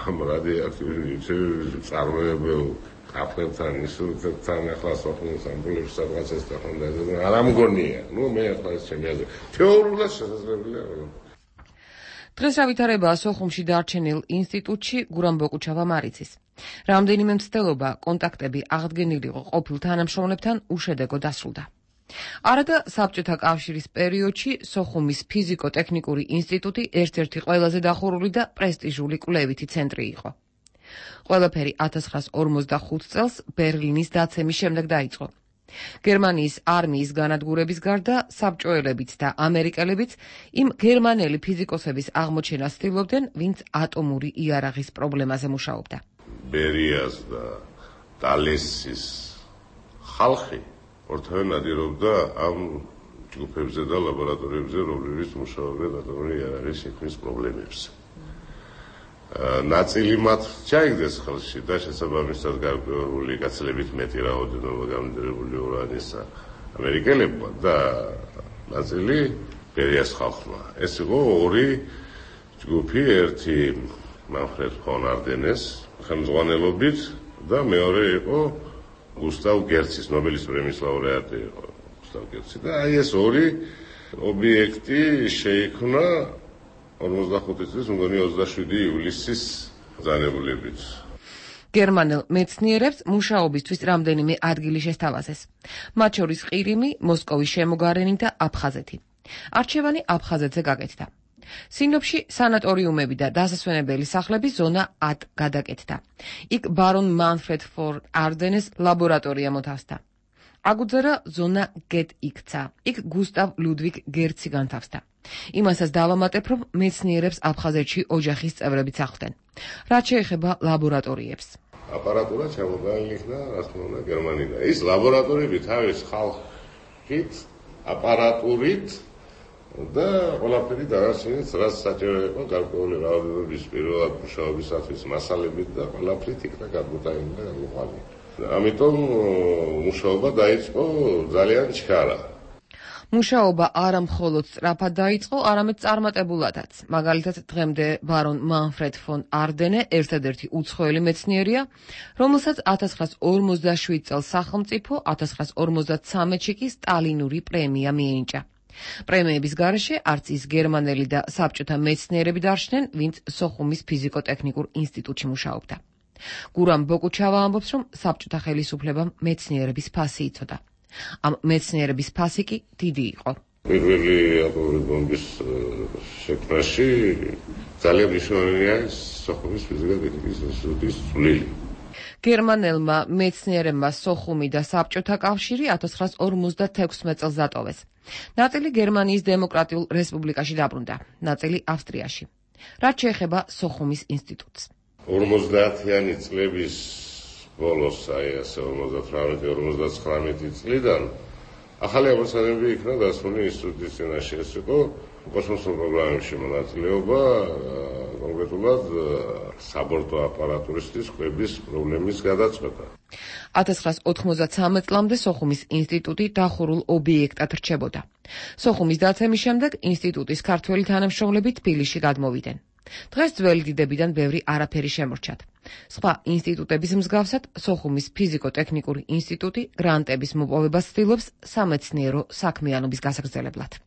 ამ რადიოაქტიური წარმოებულ აფეთთან ისურვებთან ახლა სოხუმის ამბულებს სადღაც ეს თქონდა არ ამგონია. მე ახლა ეს ჩემი აზრით თეორიულად შესაძლებელია. დღეს ავითარებაა სოხუმში დარჩენილ ინსტიტუტში გურამ ბოკუჩავა მარიცის. რამდენიმე მცდელობა, კონტაქტები აღდგენილიყო ყოფილ თანამშრომლებთან უშედეგო დასრულდა. არადა საბჭოთა კავშირის პერიოდში სოხუმის ფიზიკო-ტექნიკური ინსტიტუტი ერთ-ერთი ყველაზე დახურული და პრესტიჟული კვლევითი ცენტრი იყო. ყველაფერი 1945 წელს ბერლინის დაცემის შემდეგ დაიწყო. გერმანიის არმიის განადგურების გარდა საბჭოელებიც და ამერიკელებიც იმ გერმანელი ფიზიკოსების აღმოჩენას ცდილობდნენ, ვინც ატომური იარაღის პრობლემაზე მუშაობდა. ბერიას და ტალესის ხალხი ორთავე ნადირობდა ამ ჯგუფებზე და ლაბორატორიებზე, რომლებიც მუშაობდნენ ატომური იარაღის შექმნის პრობლემებზე. ნაწილი მათ ჩაიგდეს ხელში და შესაბამისად გარკვეული გაცილებით მეტი რაოდენობა გამოდებული ურანისა ამერიკელებმა და ნაწილი ბერიას ხალხმა. ეს იყო ორი ჯგუფი, ერთი მანფრედ ფონ არდენეს ხელმძღვანელობით და მეორე იყო გუსტავ გერცის ნობელის პრემიის ლაურეატი იყო უსტავკეთსი და აი ეს ორი ობიექტი შეიქმნა 45 წლის მგონი 27 ივლისის ბრძანებულებით. გერმანელ მეცნიერებს მუშაობისთვის რამდენიმე ადგილი შესთავაზეს. მათ შორის ყირიმი, მოსკოვის შემოგარენი და აფხაზეთი. არჩევანი აფხაზეთზე გაკეთდა. სინოპში სანატორიუმები და დასასვენებელი სახლების ზონა 10 გადაკეთდა. იქ ბარონ მანფრედ ფონ არდენეს ლაბორატორია მოთავსდა. აგუძერა ზონა გეტ იქცა. იქ გუსტავ ლუდვიგ გერცი განთავსდა. იმასაც დავამატებ, რომ მეცნიერებს აფხაზეთში ოჯახის წევრებიც ახლდნენ. რაც შეეხება ლაბორატორიებს. აპარატურა ჩამოგაიღნა, რა თქმა უნდა, გერმანიდან. ის ლაბორატორიები თავის ხალხით, აპარატურით და ყველაფერი დარასინით, რაც საჭირო იყო გარკვეული რაოდენობის პირველად მუშაობისათვის მასალებით და ყველაფრით იქნა გადმოტანილი და გამოყვანილი. ამიტომ მუშაობა დაიწყო ძალიან ჩქარა. მუშაობა არა მხოლოდ სწრაფად დაიწყო, არამედ წარმატებულადაც. მაგალითად, დღემდე ბარონ მანფრედ ფონ არდენე ერთადერთი უცხოელი მეცნიერია, რომელსაც 1947 წელს სახელმწიფო, 1953-ში კი სტალინური პრემია მიენიჭა. პრემიების გარეშე არც ის გერმანელი და საბჭოთა მეცნიერები დარჩნენ, ვინც სოხუმის ფიზიკო-ტექნიკურ ინსტიტუტში მუშაობდა. გურამ ბოკუჩავა ამბობს, რომ საბჭოთა ხელისუფლებამ მეცნიერების ფასი იცოდა. ამ მეცნიერების ფასი კი დიდი იყო. პირველი ატომური ბომბის შექმნაში ძალიან მნიშვნელოვანია სოხუმის ფიზიკა-ტექნიკის ინსტიტუტის წვლილი. გერმანელმა მეცნიერებმა სოხუმი და საბჭოთა კავშირი 1956 წელს დატოვეს. ნაწილი გერმანიის დემოკრატიულ რესპუბლიკაში დაბრუნდა, ნაწილი ავსტრიაში. რაც შეეხება სოხუმის ინსტიტუტს. 50-იანი წლების ბოლოს, აი ასე 58-59 წლიდან ახალი ამოცანები იქნა დასმული ინსტიტუტის წინაშე. ეს იყო კოსმოსურ პროგრამებში მონაწილეობა, კონკრეტულად საბორტო აპარატურისთვის კვების პრობლემის გადაწყვეტა. 1993 წლამდე სოხუმის ინსტიტუტი დახურულ ობიექტად რჩებოდა. სოხუმის დაცემის შემდეგ ინსტიტუტის ქართველი თანამშრომლები თბილისში გადმოვიდნენ. დღეს ძველი დიდებიდან ბევრი არაფერი შემორჩათ. სხვა ინსტიტუტების მსგავსად, სოხუმის ფიზიკო-ტექნიკური ინსტიტუტი გრანტების მოპოვებას ცდილობს სამეცნიერო საქმიანობის გასაგრძელებლად.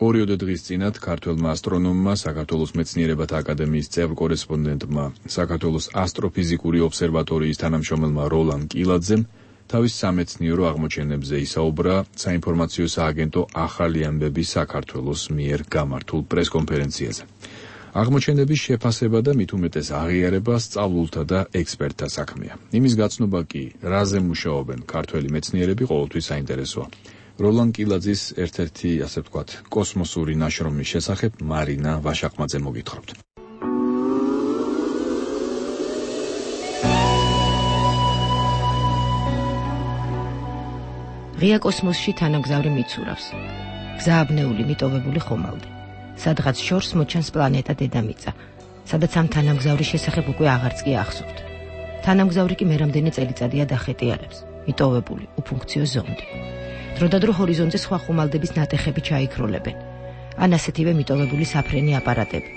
ორიოდე დღის წინათ ქართველმა ასტრონომმა, საქართველოს მეცნიერებათა აკადემიის წევრ კორესპონდენტმა, საქართველოს ასტროფიზიკური ობსერვატორიის თანამშრომელმა როლან კილაძემ თავის სამეცნიერო აღმოჩენებზე ისაუბრა საინფორმაციო სააგენტო ახალი ამბები საქართველოს მიერ გამართულ პრესკონფერენციაზე. აღმოჩენების შეფასება და მით უმეტეს აღიარება სწავლულთა და ექსპერტთა საქმეა. იმის გაცნობა კი, რაზე მუშაობენ ქართველი მეცნიერები, ყოველთვის საინტერესოა. როლან კილაძის ერთ-ერთი, ასე ვთქვათ, კოსმოსური ნაშრომის შესახებ მარინა ვაშაყმაძე მოგითხრობთ. ღია კოსმოსში თანამგზავრი მიცურავს. გზააბნეული მიტოვებული ხომალდი. სადღაც შორს მოჩანს პლანეტა დედამიწა, სადაც ამ თანამგზავრის შესახებ უკვე აღარც კი ახსოვთ. თანამგზავრი კი მერამდენი წელიწადია დახეტიალებს. მიტოვებული უფუნქციო ზონდი. დროდადრო ჰორიზონტზე სხვა ხომალდების ნატეხები ჩაიქროლებენ. ან ასეთივე მიტოვებული საფრენი აპარატები,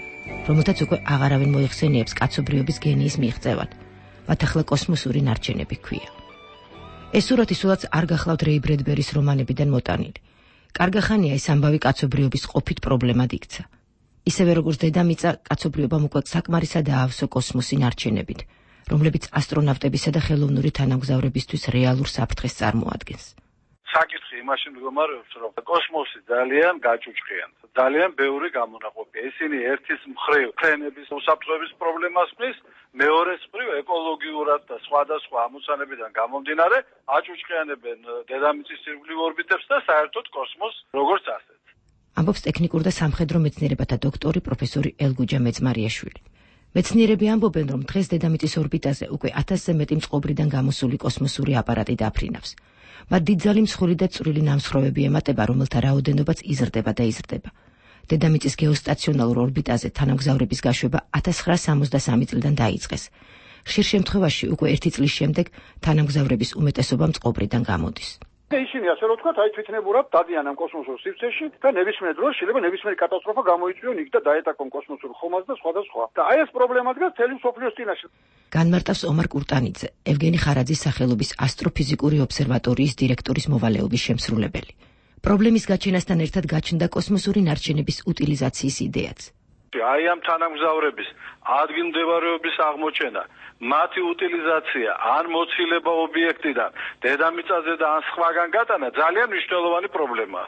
რომელთაც უკვე აღარავინ მოიხსენიებს კაცობრიობის გენიის მიღწევად. მათ ახლა კოსმოსური ნარჩენები ჰქვია. ეს სურათი სულაც არ გახლავთ რეი ბრედბერის რომანებიდან მოტანილი. კარგახანია ეს ამბავი კაცობრიობის ყოფით პრობლემად იქცა. ისევე როგორც დედამიწა, კაცობრიობამ უკვე საკმარისად აავსო კოსმოსი ნარჩენებით, რომლებიც ასტრონავტებისა და ხელოვნური თანამგზავრებისთვის რეალურ საფრთხეს წარმოადგენს. საკითხი იმაში მდგომარეობს, რომ კოსმოსი ძალიან გაჭუჭყიან. ძალიან ბევრი გამონაყოფია. ისინი ერთის მხრივ ფრენების უსაფრთხოების პრობლემას ქმნის, მეორეს მხრივ ეკოლოგიურად და სხვადასხვა ამოცანებიდან გამომდინარე აჭუჭყიანებენ დედამიწის ირგვლივ ორბიტებს და საერთოდ კოსმოსს როგორც ასეთს. ამბობს ტექნიკურ და სამხედრო მეცნიერებათა დოქტორი პროფესორი ელგუჯა მეძმარიაშვილი. მეცნიერები ამბობენ, რომ დღეს დედამიწის ორბიტაზე უკვე 1000-ზე მეტი მწყობრიდან გამოსული კოსმოსური აპარატი დაფრინავს. მათ დიდძალი მსხვილი და წვრილი ნამსხვრევები ემატება, რომელთა რაოდენობაც იზრდება და იზრდება. დედამიწის გეოსტაციონალურ ორბიტაზე თანამგზავრების გაშვება 1963 წლიდან დაიწყეს. ხშირ შემთხვევაში უკვე 1 წლის შემდეგ თანამგზავრების უმეტესობა მწყობრიდან გამოდის. ისინი ასე რომ ვთქვათ, აი თვითნებურად დადიან ამ კოსმოსურ სივრცეში და ნებისმიერ დროს შეიძლება ნებისმიერი კატასტროფა გამოიწვიონ იქ და დაეტაკონ კოსმოსურ ხომალდს და სხვა და სხვა. და აი ეს პრობლემა დგას მთელი მსოფლიოს წინაშე. განმარტავს ომარ კურტანიძე, ევგენი ხარაძის სახელობის ასტროფიზიკური ობსერვატორიის დირექტორის მოვალეობის შემსრულებელი. პრობლემის გაჩენასთან ერთად გაჩნდა კოსმოსური ნარჩენების უტილიზაციის იდეაც. აი ამ თანამგზავრების ადგილმდებარეობის აღმოჩენა, მათი უტილიზაცია, ან მოცილება ობიექტიდან, დედამიწაზე და ან სხვაგან გატანა ძალიან მნიშვნელოვანი პრობლემაა.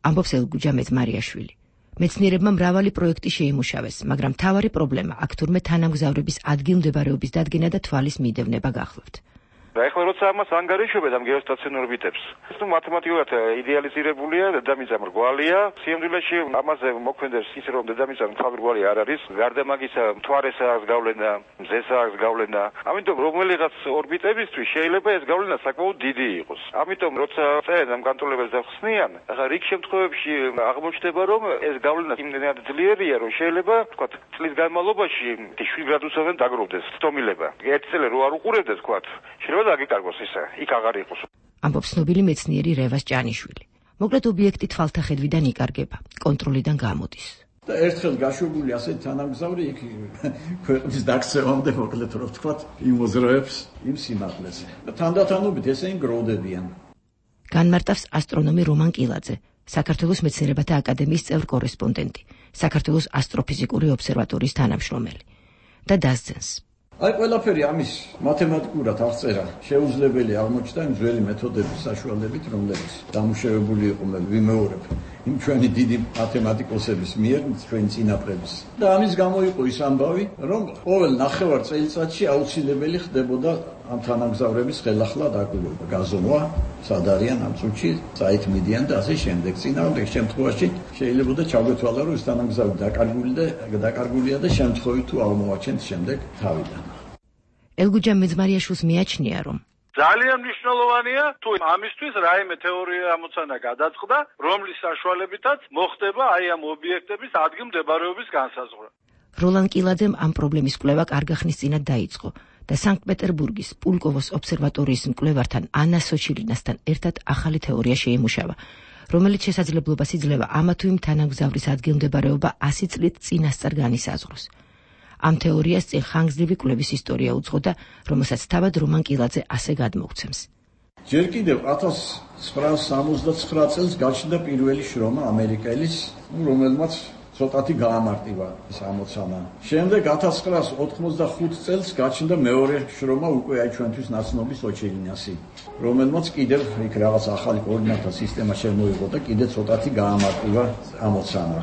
ამბობს ელგუჯა მეძმარიაშვილი. მეცნიერებმა მრავალი პროექტი შეიმუშავეს, მაგრამ მთავარი პრობლემა აქ თურმე თანამგზავრების ადგილმდებარეობის დადგენა და თვალის მიდევნება გახლავთ. და ეხლა როცა ამას ანგარიშობენ ამ გეოსტაციონარ ორბიტებს, ეს მათემატიკურად იდეალიზირებულია, დედამიწა მრგვალია, სიამდვილეში ამაზე მოქმედებს ის რომ დედამიწა მრგვალი არ არის, გარდა მაგისა მთვარესა აქვს გავლენა, მზესა აქვს გავლენა. ამიტომ რომელიღაც ორბიტებისთვის შეიძლება ეს გავლენა საკმაოდ დიდი იყოს. ამიტომ როცა წერენ ამ განტოლებებს და ხსნიან, ახლა რიგ შემთხვევებში აღმოჩნდება რომ ეს გავლენა იმდენად ძლიერია, რომ შეიძლება თქვათ წლის განმავლობაში 7 გრადუსovен დაგროვდეს სტომილება. ერთი წელი რო არ უყურებდეს თქვათ, შეიძლება დაგიკარგოს ისა, იქ აღარ იყოს. ამბობს ცნობილი მეცნიერი რევას ჭანიშვილი. მოკლედ ობიექტი თვალთა ხედვიდან იკარგება, კონტროლიდან გამოდის. და ერთხელ გაშვებული ასეთ თანამგზავრი იქ ქვეყნის დაქცევამდე მოკლედ რო ვთქვათ, იმოზროებს იმ სიმაღლეზე. და თანდათანობით ესენი გროვდებიან. განმარტავს ასტრონომი რომან კილაძე, საქართველოს მეცნიერებათა აკადემიის წევრ კორესპონდენტი, საქართველოს ასტროფიზიკური ობსერვატორიის თანამშრომელი და დასძენს. აი ყველაფერი ამის მათემატიკურად აღწერა შეუძლებელი აღმოჩნდა იმ ძველი მეთოდების საშუალებით, რომლებიც დამუშავებული იყო ვიმეორებ იმ ჩვენი დიდი მათემატიკოსების მიერ, ჩვენი წინაპრების. და ამის გამო იყო ის ამბავი, რომ ყოველ ნახევარ წელიწადში აუცილებელი ხდებოდა ამ თანამგზავრების ხელახლა დაკვირვება, გაზომვა, სად არიან ამ წუთში, საით მიდიან და ასე შემდეგ. წინააღმდეგ შემთხვევაში შეიძლება ჩაგვეთვალა, რომ ეს თანამგზავრი დაკარგულია და შემთხვევით თუ აღმოვაჩენთ შემდეგ თავიდან. ელგუჯა მეძმარიაშვილს მიაჩნია, რომ ძალიან მნიშვნელოვანია თუ ამისთვის რაიმე თეორია ამოცანა გადაწყდა, რომლის საშუალებითაც მოხდება აი ამ ობიექტების ადგილმდებარეობის განსაზღვრა. როლან კილაძემ ამ პრობლემის კვლევა კარგა ხნის წინათ დაიწყო და სანქტ-პეტერბურგის პულკოვოს ობსერვატორიის მკვლევართან ანა სოჩილინასთან ერთად ახალი თეორია შეიმუშავა, რომელიც შესაძლებლობას იძლევა ამა თუ იმ თანამგზავრის ადგილმდებარეობა 100 წლით წინასწარ განისაზღვროს. ამ თეორიას წინ ხანგრძლივი კვლევის ისტორია უძღოდა, რომელსაც თავად რომან კილაძე ასე გადმოგვცემს. ჯერ კიდევ 1969 წელს გაჩნდა პირველი შრომა ამერიკელის, რომელმაც ცოტათი გაამარტივა ეს ამოცანა. შემდეგ 1985 წელს გაჩნდა მეორე შრომა უკვე აი ჩვენთვის ნაცნობი სოჩილინასი, რომელმაც კიდევ იქ რაღაც ახალი კოორდინატთა სისტემა შემოიღო და კიდევ ცოტათი გაამარტივა ამოცანა.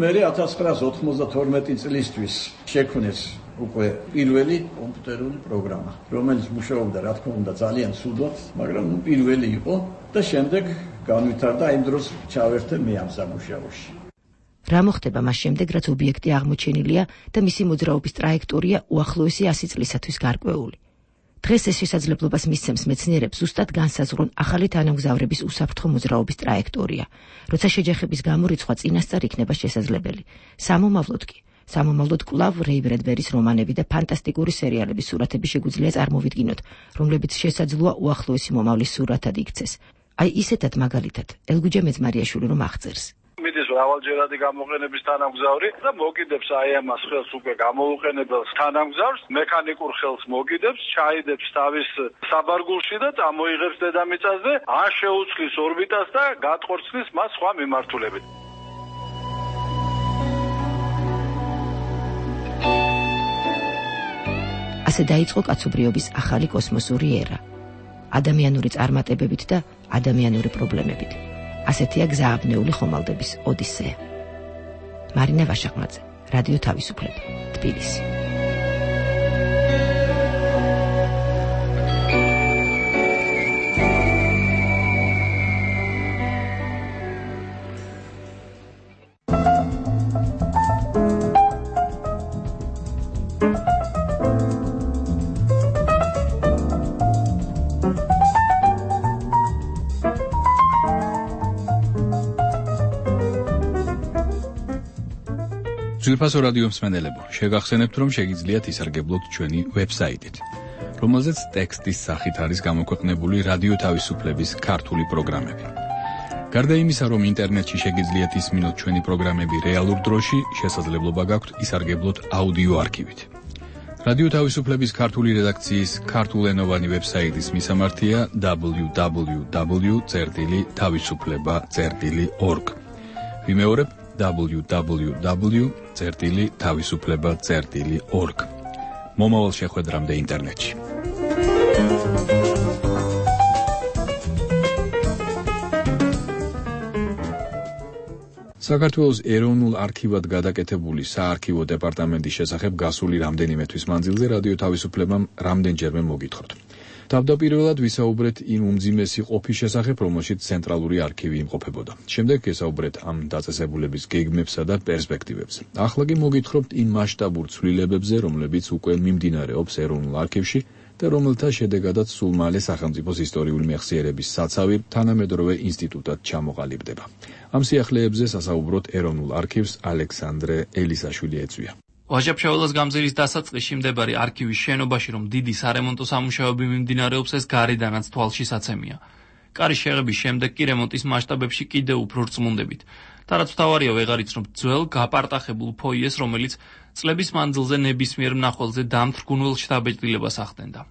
მერე 1992 წლისთვის შექმნეს უკვე პირველი კომპიუტერული პროგრამა, რომელიც მუშაობდა რა თქმა უნდა ძალიან ცუდად, მაგრამ პირველი იყო და შემდეგ განვითარდა იმ დროს ჩავერთე მე ამ სამუშაოში. რა მოხდება მას შემდეგ, რაც ობიექტი აღმოჩენილია და მისი მოძრაობის ტრაექტორია უახლოესი 100 წლისათვის გარკვეული. დღეს ეს შესაძლებლობას მისცემს მეცნიერებს ზუსტად განსაზღვრონ ახალი თანამგზავრების უსაფრთხო მოძრაობის ტრაექტორია, როცა შეჯახების გამორიცხვა წინასწარ იქნება შესაძლებელი. სამომავლოდ კვლავ რეი ბრედბერის რომანები და ფანტასტიკური სერიალების სურათები შეგვიძლია წარმოვიდგინოთ, რომლებიც შესაძლოა უახლოესი მომავლის სურათად იქცეს. აი ისეთად მაგალითად, ელგუჯა მეძმარიაშვილი რომ აღწერს. მიდის მრავალჯერადი გამოყენების თანამგზავრი და მოგიდებს აი ამას ხელს უკვე გამოუყენებელ თანამგზავრს, მექანიკურ ხელს მოგიდებს, ჩაიდებს თავის საბარგულში და წამოიღებს დედამიწაზე, ან შეუცვლის ორბიტას და გატყორცნის მას სხვა მიმართულებით. ასე დაიწყო კაცობრიობის ახალი კოსმოსური ერა. ადამიანური წარმატებებით და ადამიანური პრობლემებით. ასეთია გზააბნეული ხომალდების ოდისეა. მარინა ვაშაყმაძე, რადიო თავისუფლება, თბილისი. ძვირფასო რადიო მსმენელებო, შეგახსენებთ, რომ შეგიძლიათ ისარგებლოთ ჩვენი ვებსაიტით. რომელზეც ტექსტის სახით არის გამოქვეყნებული რადიო თავისუფლების ქართული პროგრამები. გარდა იმისა, რომ ინტერნეტში შეგიძლიათ ისმინოთ ჩვენი პროგრამები რეალურ დროში, შესაძლებლობა გაქვთ ისარგებლოთ აუდიო არქივით. რადიო თავისუფლების ქართული რედაქციის ქართულენოვანი ვებსაიტის მისამართია www.tavisufleba.org. ვიმეორებ www.tavisufleba.org. მომავალ შეხვედრამდე ინტერნეტში. საქართველოს ეროვნულ არქივად გადაკეთებული საარქივო დეპარტამენტის შესახებ გასული რამდენიმე თვის მანძილზე რადიო თავისუფლებამ რამდენჯერმე მოგითხროთ. თავდაპირველად ვისაუბრეთ იმ უმძიმესი ყოფის შესახებ, რომელშიც ცენტრალური არქივი იმყოფებოდა. შემდეგ გესაუბრეთ ამ დაწესებულების გეგმებსა და პერსპექტივებზე. ახლა კი მოგითხრობთ იმ მასშტაბურ ცვლილებებზე, რომლებიც უკვე მიმდინარეობს ეროვნულ არქივში და რომელთა შედეგადაც სულ მალე სახელმწიფოს ისტორიული მეხსიერების საცავი თანამედროვე ინსტიტუტად ჩამოყალიბდება. ამ სიახლეებზე სასაუბროთ ეროვნულ არქივს ალექსანდრე ელისაშვილი ეწვია. ვაჟა-ფშაველას გამზირის დასაწყისში მდებარე არქივის შენობაში, რომ დიდი სარემონტო სამუშაოები მიმდინარეობს, ეს გარედანაც თვალშისაცემია. კარის შეღების შემდეგ კი რემონტის მასშტაბებში კიდევ უფრო რწმუნდებით. და რაც მთავარია, ვეღარ იცნობთ ძველ გაპარტახებულ ფოიეს, რომელიც წლების მანძილზე ნებისმიერ მნახველზე დამთრგუნველ შთაბეჭდილებას ახდენდა.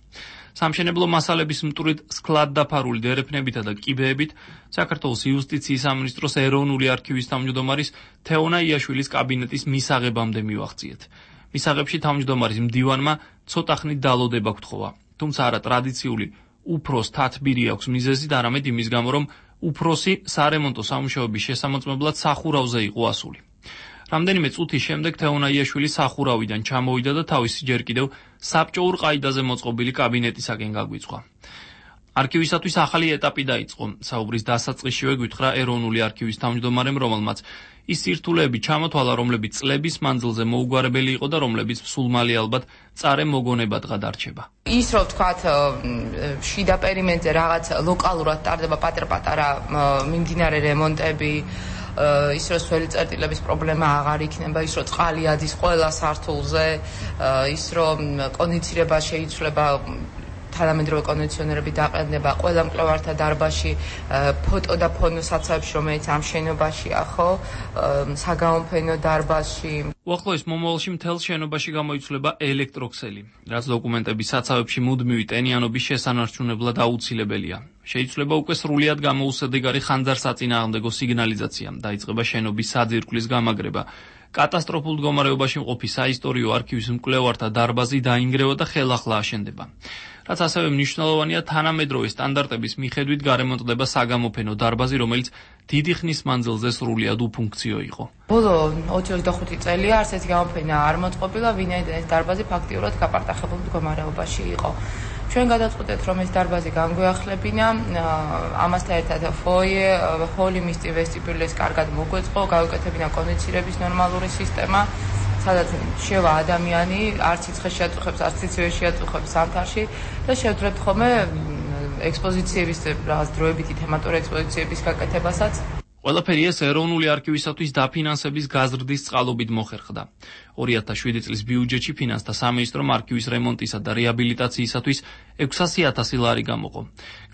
სამშენებლო მასალების მტვრით სქლად დაფარული დერეფნებითა და კიბეებით საქართველოს იუსტიციის სამინისტროს ეროვნული არქივის თავმჯდომარის თეონა იაშვილის კაბინეტის მისაღებამდე მივაღწიეთ. მისაღებში თავმჯდომარის მდივანმა ცოტა ხნით დალოდება გთხოვა. თუმცა არა ტრადიციული უფროს თათბირი აქვს მიზეზი და არამედ იმის გამო, რომ უფროსი სარემონტო სამუშაოების შესამოწმებლად სახურავზე იყო ასული. რამდენიმე წუთის შემდეგ თეონა იაშვილი სახურავიდან ჩამოვიდა და თავისი ჯერ კიდევ საბჭოურ ყაიდაზე მოწყობილი კაბინეტისაკენ გაგვიწყვა. არქივისათვის ახალი ეტაპი დაიწყო. საუბრის დასაწყისშივე გვითხრა ეროვნული არქივის თავმჯდომარემ, რომელმაც ის სირთულეები ჩამოთვალა, რომლებიც წლების მანძილზე მოუგვარებელი იყო და რომლებიც სულ მალე ალბათ წარე მოგონებად გადარჩება. ის რომ ვთქვათ, შიდა პერიმეტრზე რაღაც ლოკალურად ტარდება პატარ-პატარა მიმდინარე რემონტები, ის რომ სველი წერტილების პრობლემა აღარ იქნება, ის რომ წყალი ადის ყველა სართულზე, ის რომ კონდიცირება შეიცვლება, თანამედროვე კონდიციონერები დაყენდება ყველა მკვლევართა დარბაზში, ფოტო და ფონო საცავებში, რომელიც ამ შენობაშია, ხო, საგამოფენო დარბაზში. უახლოეს მომავალში მთელ შენობაში გამოიცვლება ელექტროქსელი, რაც დოკუმენტების საცავებში მუდმივი ტენიანობის შესანარჩუნებლად აუცილებელია. შეიძლება უკვე სრულიად გამოუსადეგარი ხანძარსაწინააღმდეგო სიგნალიზაცია, დაიწყება შენობის საძირკვლის გამაგრება. კატასტროფულ მდგომარეობაში მყოფი საისტორიო არქივის მკვლევართა დარბაზი დაინგრევა და ხელახლა აშენდება. რაც ასევე მნიშვნელოვანია, თანამედროვე სტანდარტების მიხედვით გარემონტდება საგამოფენო დარბაზი, რომელიც დიდი ხნის მანძილზე სრულიად უფუნქციო იყო. ბოლო 25 წელია არც ერთი გამოფენა არ მოწყობილა, ვინაიდან ეს დარბაზი ფაქტიურად გაპარტახებულ მდგომარეობაში იყო. ჩვენ გადაწყვეტეთ, რომ ეს დარბაზი განგვეახლებინა, ამასთან ერთად ფოიე, ჰოლი, მისტი, ვესტიბიულის კარგად მოგვეწყო, გავუკეთებინა კონდიცირების ნორმალური სისტემა, სადაც შევა ადამიანი, არც სიცხეს შეაწუხებს, არც სიცივე შეაწუხებს ზამთარში და შევძლებთ ხოლმე ექსპოზიციების რაღაც დროებითი თემატური ექსპოზიციების გაკეთებასაც. ყველაფერი ეს ეროვნული არქივისათვის დაფინანსების გაზრდის წყალობით მოხერხდა. 2007 წლის ბიუჯეტში ფინანსთა სამინისტრომ არქივის რემონტისა და რეაბილიტაციისათვის 600,000 ლარი გამოყო.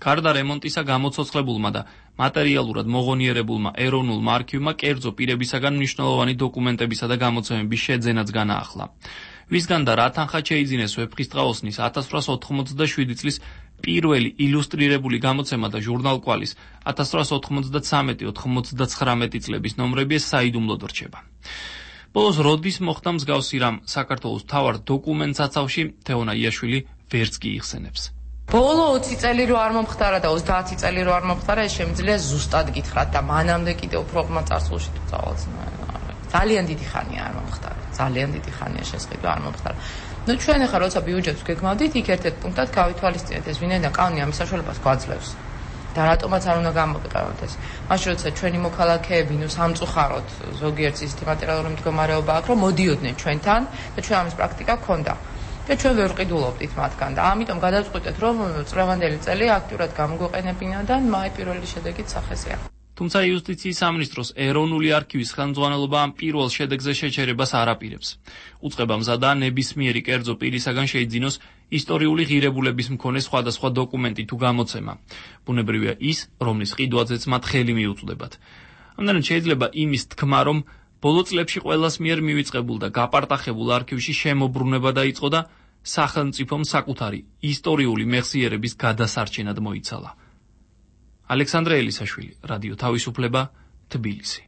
გარდა რემონტისა გამოცოცხლებულმა და მატერიალურად მოღონიერებულმა ეროვნულმა არქივმა კერძო პირებისაგან მნიშვნელოვანი დოკუმენტებისა და გამოცემების შეძენაც განაახლა. ვისგან და რა თანხა შეიძინეს ვეფხისტყაოსნის 1897 წლის პირველი ილუსტრირებული გამოცემა და ჟურნალ კვალის 1893-99 წლების ნომრები საიდუმლოდ რჩება. ბოლოს როდის მოხდა მსგავსი რამ საქართველოს მთავარ დოკუმენტსაცავში თეონა იაშვილი ვერც კი იხსენებს. ბოლო 20 წელი რო არ მომხდარა და 30 წელი რო არ მომხდარა, ეს შემიძლია ზუსტად გითხრათ და მანამდე კიდევ უფრო ღრმა წარსულში თუ წავალთ. ძალიან დიდი ხანია არ მომხდარა. ძალიან დიდი ხანია შესყიდვა არ მომხდარა. ნუ ჩვენ ახლა როცა ბიუჯეტს გეგმავდით, იქ ერთ-ერთ პუნქტად გავითვალისწინეთ ეს, ვინაიდან კანონი ამის საშუალებას გვაძლევს. და რატომაც არ უნდა გამოვიყევოთ ეს. მაშინ როცა ჩვენი მოქალაქეები ნუ სამწუხაროდ ზოგიერთ ისეთი მატერიალური მდგომარეობა აქვს, რომ მოდიოდნენ ჩვენთან და ჩვენ ამის პრაქტიკა გქონდა. და ჩვენ ვერ ვყიდულობდით მათგან და ამიტომ გადავწყვიტეთ, რომ წლევანდელი წელი აქტიურად გამოგვეყენებინა და მაი პირველი შედეგით სახეზეა. თუმცა იუსტიციის სამინისტროს ეროვნული არქივის ხელმძღვანელობა ამ პირველ შედეგზე შეჩერებას არ აპირებს. უწყება მზადაა ნებისმიერი კერძო პირისაგან შეიძინოს ისტორიული ღირებულების მქონე სხვადასხვა დოკუმენტი თუ გამოცემა. ბუნებრივია ის, რომლის ყიდვაზეც მათ ხელი მიუწვდებათ. ამდენად შეიძლება იმის თქმა, რომ ბოლო წლებში ყველას მიერ მივიწყებულ და გაპარტახებულ არქივში შემოbrunება დაიწყო და სახელმწიფომ საკუთარი ისტორიული მეხსიერების გადასარჩენად მოიცალა. ალექსანდრე ელისაშვილი, რადიო თავისუფლება, თბილისი.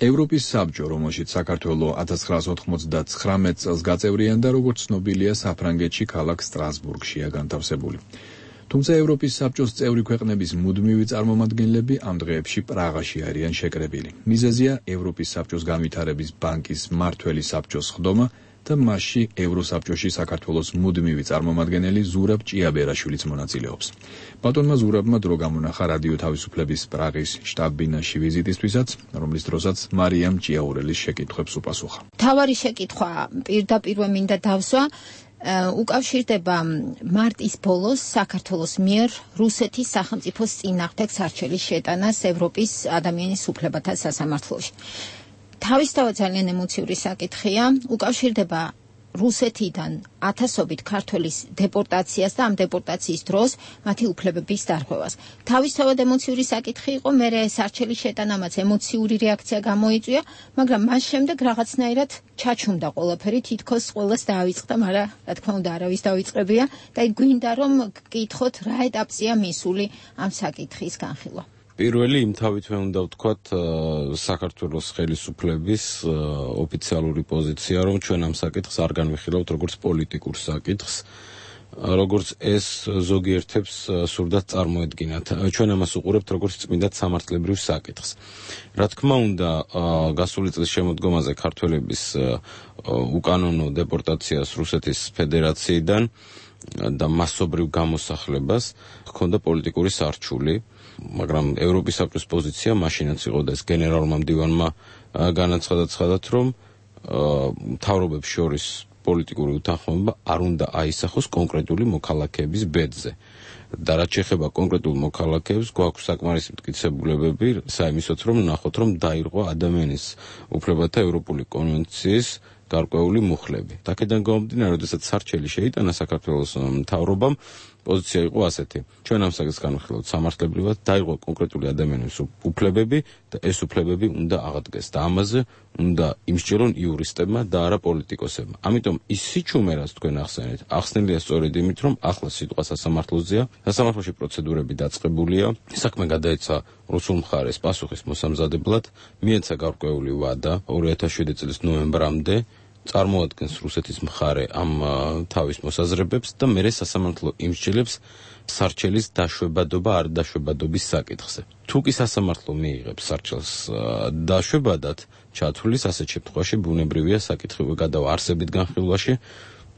ევროპის საბჭო, რომელშიც საქართველო 1999 წელს გაწევრიანდა, როგორც ცნობილია, საფრანგეთში ქალაქ სტრასბურგშია განთავსებული. თუმცა ევროპის საბჭოს წევრი ქვეყნების მუდმივი წარმომადგენლები ამ დღეებში პრაღაში არიან შეკრებილი. მიზეზია ევროპის საბჭოს განვითარების ბანკის მმართველი საბჭოს ხდომა და მასში ევროსაბჭოში საქართველოს მუდმივი წარმომადგენელი ზურაბ ჭიაბერაშვილიც მონაწილეობს. ბატონმა ზურაბმა დრო გამონახა რადიო თავისუფლების პრაღის შტაბ-ბინაში ვიზიტისთვისაც, რომლის დროსაც მარიამ ჭიაურელის შეკითხვებს უპასუხა. თავარი შეკითხვა პირდაპირ მინდა დავსვა. უკავშირდება მარტის ბოლოს საქართველოს მიერ რუსეთის სახელმწიფოს წინააღმდეგ სარჩელის შეტანას ევროპის ადამიანის უფლებათა სასამართლოში. თავისთავად ძალიან ემოციური საკითხია, უკავშირდება რუსეთიდან ათასობით ქართველის დეპორტაციას და ამ დეპორტაციის დროს მათი უფლებების დარღვევას. თავისთავად ემოციური საკითხი იყო, მერე სარჩელის შეტანამაც ემოციური რეაქცია გამოიწვია, მაგრამ მას შემდეგ რაღაცნაირად ჩაჩუმდა ყველაფერი, თითქოს ყველას დაავიწყდა, მაგრამ რა თქმა უნდა არავის დავიწყებია და გვინდა რომ გკითხოთ რა ეტაპზეა მისული ამ საკითხის განხილვა. პირველი იმთავითვე უნდა ვთქვათ საქართველოს ხელისუფლების ოფიციალური პოზიცია, რომ ჩვენ ამ საკითხს არ განვიხილავთ როგორც პოლიტიკურ საკითხს, როგორც ეს ზოგიერთებს სურდათ წარმოედგინათ. ჩვენ ამას უყურებთ როგორც წმინდა სამართლებრივ საკითხს. რა თქმა უნდა, გასული წლის შემოდგომაზე ქართველების უკანონო დეპორტაციას რუსეთის ფედერაციიდან და მასობრივ გამოსახლებას ჰქონდა პოლიტიკური სარჩული. მაგრამ ევროპის საბჭოს პოზიცია მაშინაც იყო და ეს გენერალურმა მდივანმა განაცხადათ, რომ მთავრობებს შორის პოლიტიკური უთანხმოება არ უნდა აისახოს კონკრეტული მოქალაქეების ბედზე. და რაც შეეხება კონკრეტულ მოქალაქეებს, გვაქვს საკმარისი მტკიცებულებები საიმისოთ, რომ ნახოთ, რომ დაირღვა ადამიანის უფლებათა ევროპული კონვენციის გარკვეული მუხლები. აქედან გამომდინარე, როდესაც სარჩელი შეიტანა საქართველოს მთავრობამ, პოზიცია იყო ასეთი. ჩვენ ამ საკითხს განვიხილავთ სამართლებრივად, დაირღვა კონკრეტული ადამიანის უფლებები და ეს უფლებები უნდა აღადგეს და ამაზე უნდა იმსჯელონ იურისტებმა და არა პოლიტიკოსებმა. ამიტომ ის სიჩუმე, რაც თქვენ ახსენეთ, ახსნილია სწორედ იმით, რომ ახლა სიტყვა სასამართლოზეა, სასამართლოში პროცედურები დაწყებულია, საქმე გადაეცა რუსულ მხარეს პასუხის მოსამზადებლად, მიეცა გარკვეული ვადა 2007 წლის ნოემბრამდე, წარმოადგენს რუსეთის მხარე ამ თავის მოსაზრებებს და მერე სასამართლო იმსჯელებს სარჩელის დაშვებადობა არ დაშვებადობის საკითხზე. თუ კი სასამართლო მიიღებს სარჩელს დაშვებადად ჩათვლის, ასეთ შემთხვევაში ბუნებრივია საკითხი გადავა არსებით განხილვაში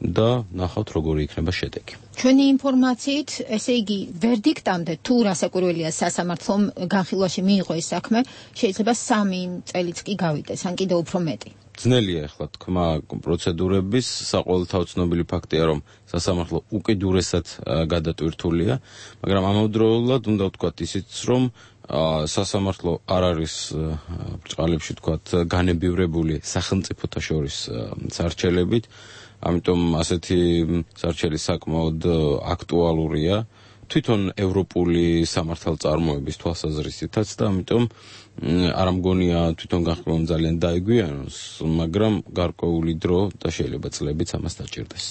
და ნახავთ როგორი იქნება შედეგი. ჩვენი ინფორმაციით, ესე იგი, ვერდიქტამდე თუ რასაკვირველია სასამართლომ განხილვაში მიიღო ეს საქმე, შეიძლება 3 წელიც კი გავიდეს, ან კიდევ უფრო მეტი. ძნელია ახლა თქმა პროცედურების, საყოველთაო ცნობილი ფაქტია, რომ სასამართლო უკიდურესად გადატვირთულია, მაგრამ ამავდროულად უნდა ვთქვათ ისიც, რომ სასამართლო არ არის ბრწყალებში ვთქვათ განებივრებული სახელმწიფოთა შორის სარჩელებით, ამიტომ ასეთი სარჩელი საკმაოდ აქტუალურია თვითონ ევროპული სამართალწარმოების თვალსაზრისითაც და ამიტომ არ მგონია თვითონ განხილვამ ძალიან დაეგვიანოს, მაგრამ გარკვეული დრო და შეიძლება წლებიც ამას დაჭირდეს.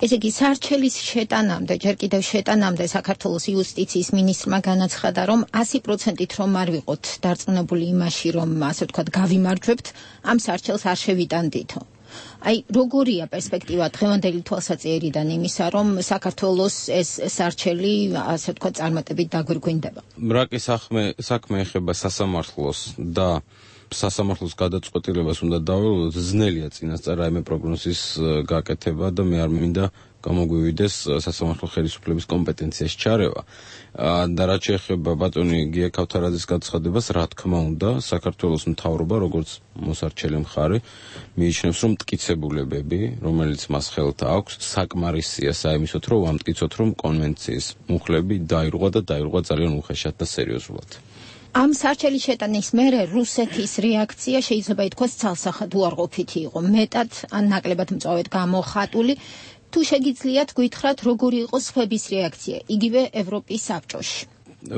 ესე იგი, სარჩელის შეტანამდე, ჯერ კიდევ შეტანამდე საქართველოს იუსტიციის მინისტრმა განაცხადა, რომ 100%-ით რომ არ ვიყოთ დარწმუნებული იმაში, რომ ასე ვთქვათ, გავიმარჯვებთ, ამ სარჩელს არ შევიტანდითო. აი, როგორია პერსპექტივა დღევანდელი თვალსაჩინოდან იმისა, რომ საქართველოს ეს სარჩელი, ასე ვთქვათ, წარმატებით დაგვირგვინდება? მრაკი საქმე ეხება სასამართლოს და სასამართლოს გადაწყვეტილებას უნდა დაველოდოთ, ძნელია წინასწარ რაიმე პროგნოზის გაკეთება და მე არ მინდა გამოგვივიდეს სასამართლო ხელისუფლების კომპეტენციაში ჩარევა. და რაც შეეხება ბატონი გია ქავთარაძის გაცხადებას, რა თქმა უნდა, საქართველოს მთავრობა, როგორც მოსარჩელი მხარე, მიიჩნევს, რომ მტკიცებულებები, რომელიც მას ხელთ აქვს, საკმარისია საიმისოთ, რომ ვამტკიცოთ, რომ კონვენციის მუხლები დაირღვა და დაირღვა ძალიან უხეშად და სერიოზულად. ამ სარჩელი შეტანის მერე რუსეთის რეაქცია შეიძლება ითქვას ცალსახად უარყოფითი იყო, მეტად ან ნაკლებად მწვავედ გამოხატული. თუ შეგიძლიათ გითხრათ, როგორი იყო სხვების რეაქცია, იგივე ევროპის საბჭოში?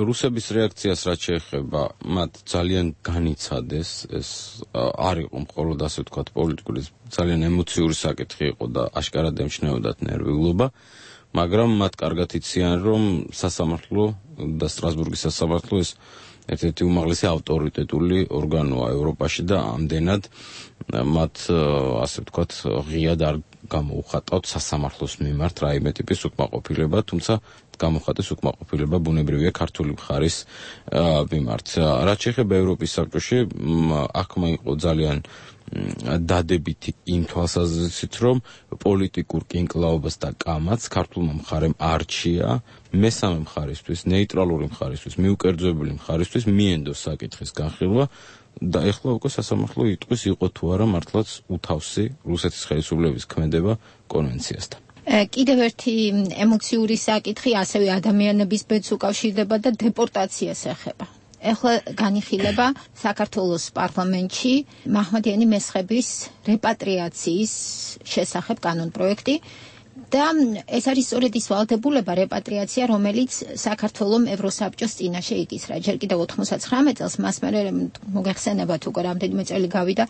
რუსების რეაქციას რაც შეეხება, მათ ძალიან განიცადეს, ეს არ იყო მხოლოდ ასე ვთქვათ პოლიტიკური, ძალიან ემოციური საკითხი იყო და აშკარად ემჩნეოდათ ნერვიულობა, მაგრამ მათ კარგად იციან, რომ სასამართლო და სტრასბურგის სასამართლო ეს ერთ-ერთი უმაღლესი ავტორიტეტული ორგანოა ევროპაში და ამდენად მათ ასე ვთქვათ ღიად არ გამოუხატავთ სასამართლოს მიმართ რაიმე ტიპის უკმაყოფილება, თუმცა გამოხატეს უკმაყოფილება ბუნებრივია ქართული მხარის მიმართ. რაც შეეხება ევროპის საბჭოში, აღქმა იყო ძალიან დადებითი იმ თვალსაზრისით, რომ პოლიტიკურ კინკლაობას და კამათს ქართულმა მხარემ არჩია მესამე მხარისთვის, ნეიტრალური მხარისთვის, მიუკერძოებული მხარისთვის მიენდოს საკითხის განხილვა და ეხლა უკვე სასამართლო იტყვის იყო თუ არა მართლაც უთავსი რუსეთის ხელისუფლების ქმედება კონვენციასთან. კიდევ ერთი ემოციური საკითხი ასევე ადამიანების ბედს უკავშირდება და დეპორტაციას ეხება. ეხლა განიხილება საქართველოს პარლამენტში მაჰმადიანი მესხების რეპატრიაციის შესახებ კანონპროექტი და ეს არის სწორედ ის ვალდებულება რეპატრიაცია, რომელიც საქართველოს ევროსაბჭოს წინაშე იკისრა. ჯერ კიდევ 99 წელს მას მერე მოგეხსენებათ უკვე რამდენიმე წელი გავიდა,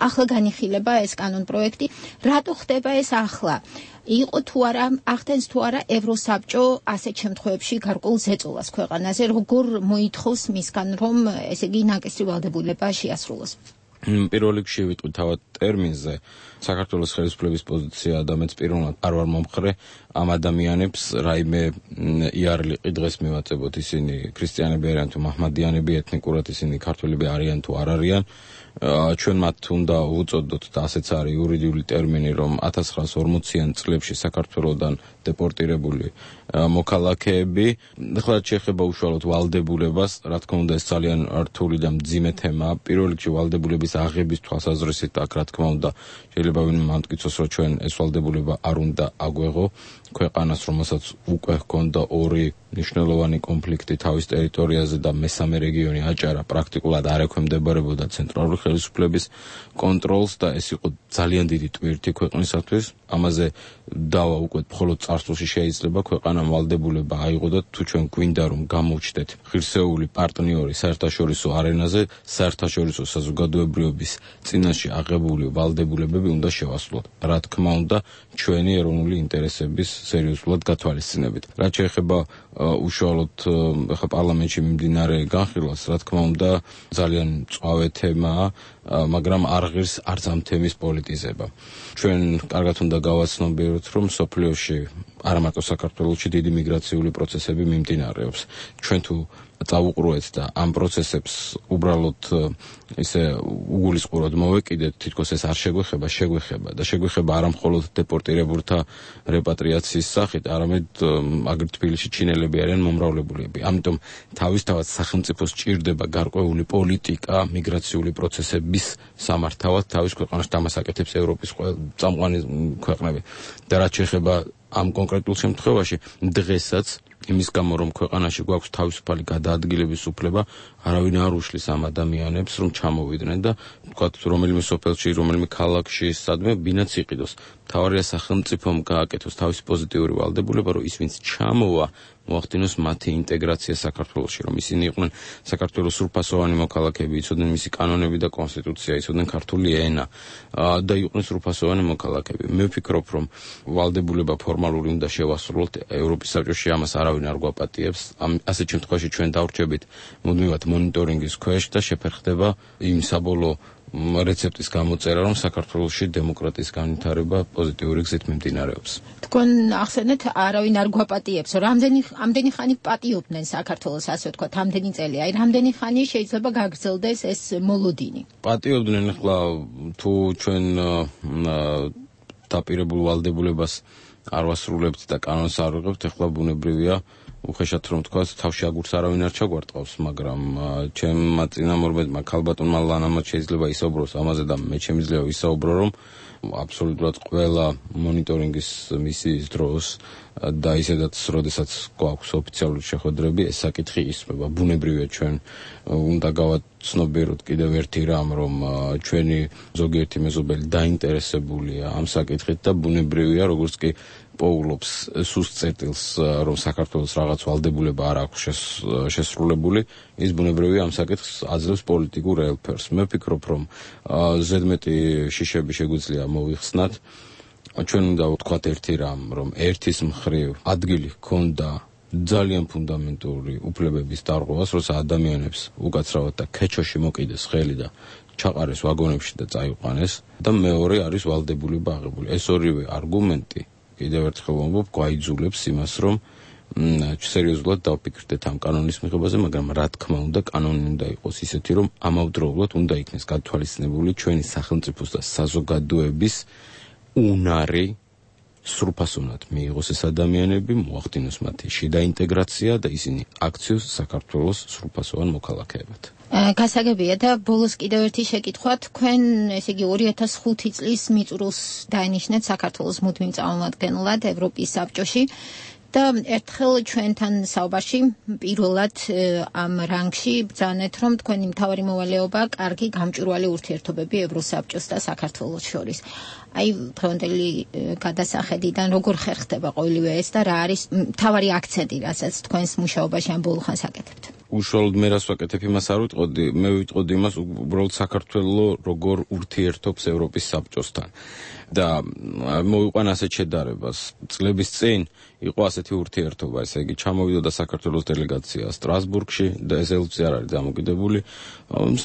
ახლა განიხილება ეს კანონპროექტი. რატო ხდება ეს ახლა? იყო თუ არა, ახდენს თუ არა ევროსაბჭო ასეთ შემთხვევებში გარკვეულ ზეწოლას ქვეყანაზე, როგორ მოითხოვს მისგან, რომ ესე იგი ნაკისრი ვალდებულება შეასრულოს? პირველ რიგში ვიტყვი თავად ტერმინზე საქართველოს ხელისუფლების პოზიცია და მეც პიროვნად არ ვარ მომხრე ამ ადამიანებს რაიმე იარლიყი დღეს მივაწებოთ, ისინი ქრისტიანები არიან თუ მაჰმადიანები, ეთნიკურად ისინი ქართველები არიან თუ არ არიან. ჩვენ მათ უნდა უწოდოთ და ასეც არის იურიდიული ტერმინი, რომ 1940-იან წლებში საქართველოსდან დეპორტირებული მოქალაქეები, ახლა შეეხება უშუალოდ ვალდებულებას, რა თქმა უნდა ეს ძალიან რთული და მძიმე თემაა. პირველ რიგში ვალდებულების აღების თვალსაზრისით აქ რა თქმა უნდა შეიძლება ვინმე მამტკიცოს, რომ ჩვენ ეს ვალდებულება არ უნდა აგვეღო ქვეყანას, რომელსაც უკვე ჰქონდა ორი მნიშვნელოვანი კონფლიქტი თავის ტერიტორიაზე და მესამე რეგიონი აჭარა პრაქტიკულად არ ექვემდებარებოდა ცენტრალური ხელისუფლების კონტროლს და ეს იყო ძალიან დიდი ტვირთი ქვეყნისათვის. ამაზე დავა უკვე მხოლოდ წარსულში შეიძლება ქვეყანამ ვალდებულება აიღო და თუ ჩვენ გვინდა რომ გამოვჩდეთ ღირსეული პარტნიორი საერთაშორისო არენაზე, საერთაშორისო საზოგადოებრიობის წინაშე აღებული ვალდებულებები უნდა შევასრულოთ. რა თქმა უნდა, ჩვენი ეროვნული ინტერესების სერიოზულად გათვალისწინებით. რაც შეეხება უშუალოდ ხა პარლამენტში მიმდინარე განხილვას, რა თქმა უნდა, ძალიან მწვავე თემაა, მაგრამ არ ღირს არც ამ თემის პოლიტიზება. ჩვენ კარგად უნდა გავაცნობიეროთ, რომ სოფლიოში არა მარტო საქართველოში დიდი მიგრაციული პროცესები მიმდინარეობს. ჩვენ თუ წავუყურეთ და ამ პროცესებს უბრალოდ ისე უგულისხმურად მოვეკიდეთ, თითქოს ეს არ შეგვეხება და შეგვეხება არა მხოლოდ დეპორტირებულთა რეპატრიაციის სახით, არამედ აგრეთვე თბილისში ჩინელები არიან მომრავლებლები. ამიტომ თავისთავად სახელმწიფოს ჭირდება გარკვეული პოლიტიკა მიგრაციული პროცესების სამართავად თავის ქვეყანაში, ამას აკეთებს ევროპის წამყვანი ქვეყნები. და რაც შეეხება ამ კონკრეტულ შემთხვევაში, დღესაც იმის გამო რომ ქვეყანაში გვაქვს თავისუფალი გადაადგილების უფლება, არავინ არ უშლის ამ ადამიანებს რომ ჩამოვიდნენ და თქვათ რომელიმე სოფელში, რომელიმე ქალაქში სადმე ბინაც იყიდოს. მთავარია სახელმწიფომ გააკეთოს თავისი პოზიტიური ვალდებულება, რომ ის ვინც ჩამოვა მოახდინოს მათი ინტეგრაცია საქართველოში, რომ ისინი იყვნენ საქართველოს სრულფასოვანი მოქალაქეები, იცოდნენ მისი კანონები და კონსტიტუცია, იცოდნენ ქართული ენა და იყვნენ სრულფასოვანი მოქალაქეები. მე ვფიქრობ, რომ ვალდებულება ფორმალური უნდა შევასრულოთ. ევროპის საბჭოში ამას არავინ არ გვაპატიებს. ასეთ შემთხვევაში ჩვენ დავრჩებით მუდმივად მონიტორინგის ქვეშ და შეფერხდება იმ საბოლოო რეცეპტის გამოწერა, რომ საქართველოში დემოკრატიის განვითარება პოზიტიური გზით მიმდინარეობს. თქვენ ახსენეთ, არავინ არ გვაპატიებს, ამდენი ხანი პატიობდნენ საქართველოს, ასე ვთქვათ, ამდენი წელი. აი, რამდენი ხანი შეიძლება გაგრძელდეს ეს მოლოდინი? პატიობდნენ, ახლა თუ ჩვენ დაპირებულ ვალდებულებას არ ვასრულებთ და კანონს არ ვიღებთ, ახლა ბუნებრივია უხეშად რომ თქვა, თავში აგურს არავინ არ ჩაგვარტყავს, მაგრამ ჩემმა წინამორბედმა ქალბატონმა ლანამაც შეიძლება ისაუბროს ამაზე და მე შემიძლია ვისაუბრო, რომ აბსოლუტურად ყველა მონიტორინგის მისიის დროს და ისედაც როდესაც გვაქვს ოფიციალური შეხვედრები, ეს საკითხი ისმება. ბუნებრივია ჩვენ უნდა გავაცნობიეროთ კიდევ ერთი რამ, რომ ჩვენი ზოგიერთი მეზობელი დაინტერესებულია ამ საკითხით და ბუნებრივია, როგორც კი პოულობს სუსტ წერტილს, რომ საქართველოს რაღაც ვალდებულება არ აქვს შესრულებული, ის ბუნებრივია ამ საკითხს აძლევს პოლიტიკურ ელფერს. მე ვფიქრობ, რომ ზედმეტი შიშები შეგვიძლია მოვიხსნათ. ჩვენ უნდა ვთქვათ ერთი რამ, რომ ერთის მხრივ ადგილი ჰქონდა ძალიან ფუნდამენტური უფლებების დარღვევას, როცა ადამიანებს უკაცრავად და ქეჩოში მოკიდეს ხელი და ჩაყარეს ვაგონებში და წაიყვანეს და მეორე არის ვალდებულება აღებული. ეს ორივე არგუმენტი კიდევ ერთხელ ვამბობ, გვაიძულებს იმას, რომ სერიოზულად დავფიქრდეთ ამ კანონის მიღებაზე, მაგრამ რა თქმა უნდა, კანონი უნდა იყოს ისეთი, რომ ამავდროულად უნდა იქნეს გათვალისწინებული ჩვენი სახელმწიფოს და საზოგადოების უნარი, სრულფასოვნად მიიღოს ეს ადამიანები, მოახდინოს მათი შიდა ინტეგრაცია და ისინი აქციოს საქართველოს სრულფასოვან მოქალაქეებად. გასაგებია და ბოლოს კიდევ ერთი შეკითხვა, თქვენ ესე იგი 2005 წლის მიწურულს დაინიშნეთ საქართველოს მუდმივ წარმომადგენლად ევროპის საბჭოში და ერთხელ ჩვენთან საუბარში პირველად ამ რანგში ბრძანეთ, რომ თქვენი მთავარი მოვალეობა კარგი გამჭვირვალე ურთიერთობები ევროსაბჭოს და საქართველოს შორის. აი, დღევანდელი გადასახედიდან როგორ ხერხდება ყოველივე ეს და რა არის მთავარი აქცენტი, რასაც თქვენს მუშაობაში ამ ბოლო ხანს აკეთებთ? უშუალოდ მე რას ვაკეთებ, იმას არ ვიტყოდი, მე ვიტყოდი იმას, უბრალოდ საქართველო როგორ ურთიერთობს ევროპის საბჭოსთან. და მოვიყვან ასეთ შედარებას. წლების წინ იყო ასეთი ურთიერთობა, ესე იგი ჩამოვიდოდა საქართველოს დელეგაცია სტრასბურგში და ეს ელფზე არ არის დამოკიდებული.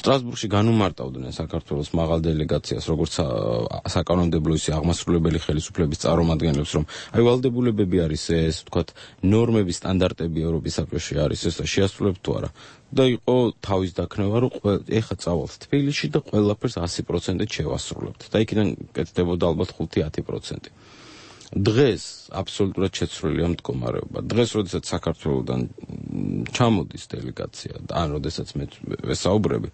სტრასბურგში განუმარტავდნენ საქართველოს მაღალ დელეგაციას, როგორც საკანონმდებლო ისე აღმასრულებელი ხელისუფლების წარმომადგენლებს, რომ აი ვალდებულებები არის ეს, ვთქვათ, ნორმების სტანდარტები ევროპის საბჭოში არის ეს და შეასრულებთ თუ არა. და იყო თავის დაქნევა, რომ ეხა წავალთ თბილისში და ყველაფერს 100% შევასრულებთ. და იქიდან კეთდებოდა ალბათ 5-10%. დღეს აბსოლუტურად შეცვლილია მდგომარეობა. დღეს, როდესაც საქართველოსთან ჩამოდის დელეგაცია და ან როდესაც მე ვესაუბრები,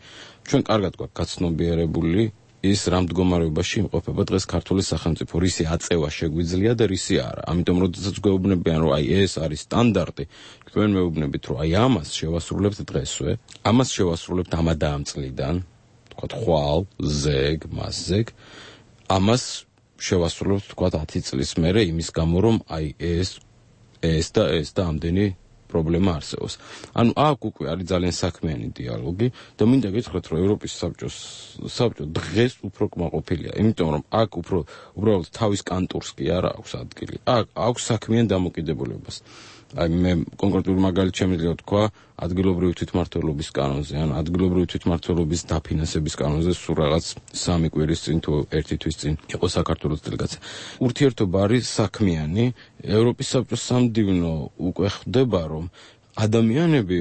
ჩვენ კარგად გვაქვს გაცნობიერებული ის რა მდგომარეობაში იმყოფება დღეს ქართული სახელმწიფო, რისი აწევა შეგვიძლია და რისი არა. ამიტომ როდესაც გვეუბნებიან, რომ აი ეს არის სტანდარტი, ჩვენ მეუბნებით, რომ აი ამას შევასრულებთ დღესვე, ამას შევასრულებთ ამა და ამ წლიდან, თქვათ ხვალ, ზეგ, მასზეგ, ამას შევასრულებთ თქვათ 10 წლის მერე იმის გამო, რომ აი ეს და ამდენი პრობლემა არსებობს. ანუ აქ უკვე არის ძალიან საქმიანი დიალოგი და მინდა გითხრათ, რომ ევროპის საბჭო დღეს უფრო კმაყოფილია, იმიტომ რომ აქ უბრალოდ თავის კანტურს კი არ აქვს ადგილი. აქ აქვს საქმიან დამოკიდებულებას. აი მე კონკრეტული მაგალითი შემიძლია თქვა ადგილობრივი თვითმმართველობის კანონზე, ან ადგილობრივი თვითმმართველობის დაფინანსების კანონზე სულ რაღაც 3 კვირის წინ თუ 1 თვის წინ იყო საქართველოს დელეგაცია. ურთიერთობა არის საქმიანი, ევროპის საბჭოს სამდივნო უკვე ხდება, რომ ადამიანები,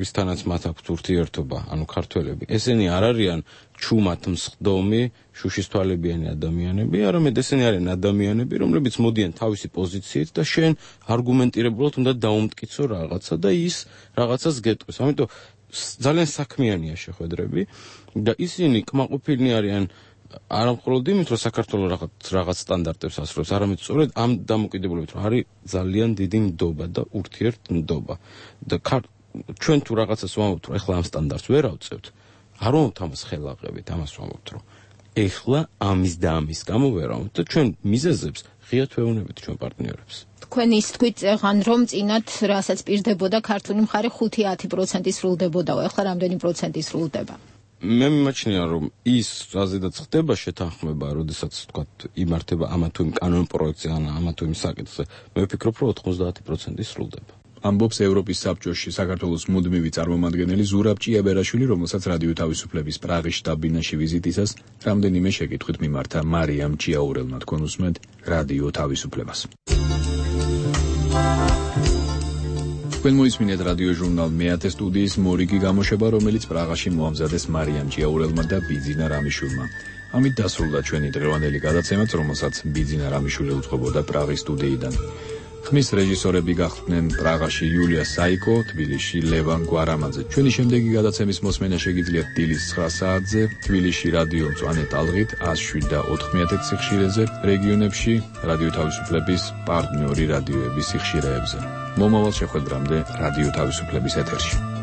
ვისთანაც მათ აქვთ ურთიერთობა, ანუ ქართველები, ესენი არ არიან ჩუმად მსხდომი, შუშის თვალებიანი ადამიანები, არამედ ესენი არიან ადამიანები, რომლებიც მოდიან თავისი პოზიციით და შენ არგუმენტირებულად უნდა დაუმტკიცო რაღაცა და ის რაღაცას გეტყვის. ამიტომ ძალიან საქმიანია შეხვედრები და ისინი კმაყოფილნი არიან არა მხოლოდ იმით, რომ საქართველოს რაღაც სტანდარტებს ასრულებს, არამედ სწორედ ამ დამოკიდებულებით, რომ არის ძალიან დიდი ნდობა და ურთიერთნდობა. და ჩვენ თუ რაღაცას ვამბობთ, რომ ეხლა ამ სტანდარტს ვერ ავწევთ, არ ვამბობთ ამას ხელაღებით, ამას ვამბობთ, რომ ეხლა ამის და ამის გამო ვერ ავამბობთ და ჩვენ მიზეზებს ღიად ვეუბნებით ჩვენ პარტნიორებს. თქვენ ის თქვით წეღან, რომ წინათ რასაც პირდებოდა ქართული მხარე 5-10% სრულდებოდაო, ეხლა რამდენი პროცენტი სრულდება? მე მიმაჩნია, რომ ის რაზედაც ხდება შეთანხმება, როდესაც თქვათ იმართება ამა თუ იმ კანონ პროექტზე ან ამა თუ იმ საკითხზე, მე ვფიქრობ, რომ 90% სრულდება. ამბობს ევროპის საბჭოში საქართველოს მუდმივი წარმომადგენელი ზურაბ ჭიაბერაშვილი, რომელსაც რადიო თავისუფლების პრაღის შტაბ-ბინაში ვიზიტისას რამდენიმე შეკითხვით მიმართა მარიამ ჭიაურელმა. თქვენ უსმენთ რადიო თავისუფლებას. თქვენ მოისმინეთ რადიო ჟურნალ მეათე სტუდიის მორიგი გამოშვება, რომელიც პრაღაში მოამზადეს მარიამ ჭიაურელმა და ბიძინა რამიშვილმა. ამით დასრულდა ჩვენი დღევანდელი გადაცემაც, რომელსაც ბიძინა რამიშვილი უძღვებოდა პრაღის სტუდიიდან. ხმის რეჟისორები გახდნენ პრაღაში იულია საიკო, თბილისში ლევან გვარამაძე. ჩვენი შემდეგი გადაცემის მოსმენა შეგიძლიათ დილის 9 საათზე, თბილისში რადიო მწვანე ტალღით 107.4 სიხშირეზე, რეგიონებში რადიო თავისუფლების პარტნიორი რადიოების სიხშირეებზე. მომავალ შეხვედრამდე რადიო თავისუფლების ეთერში.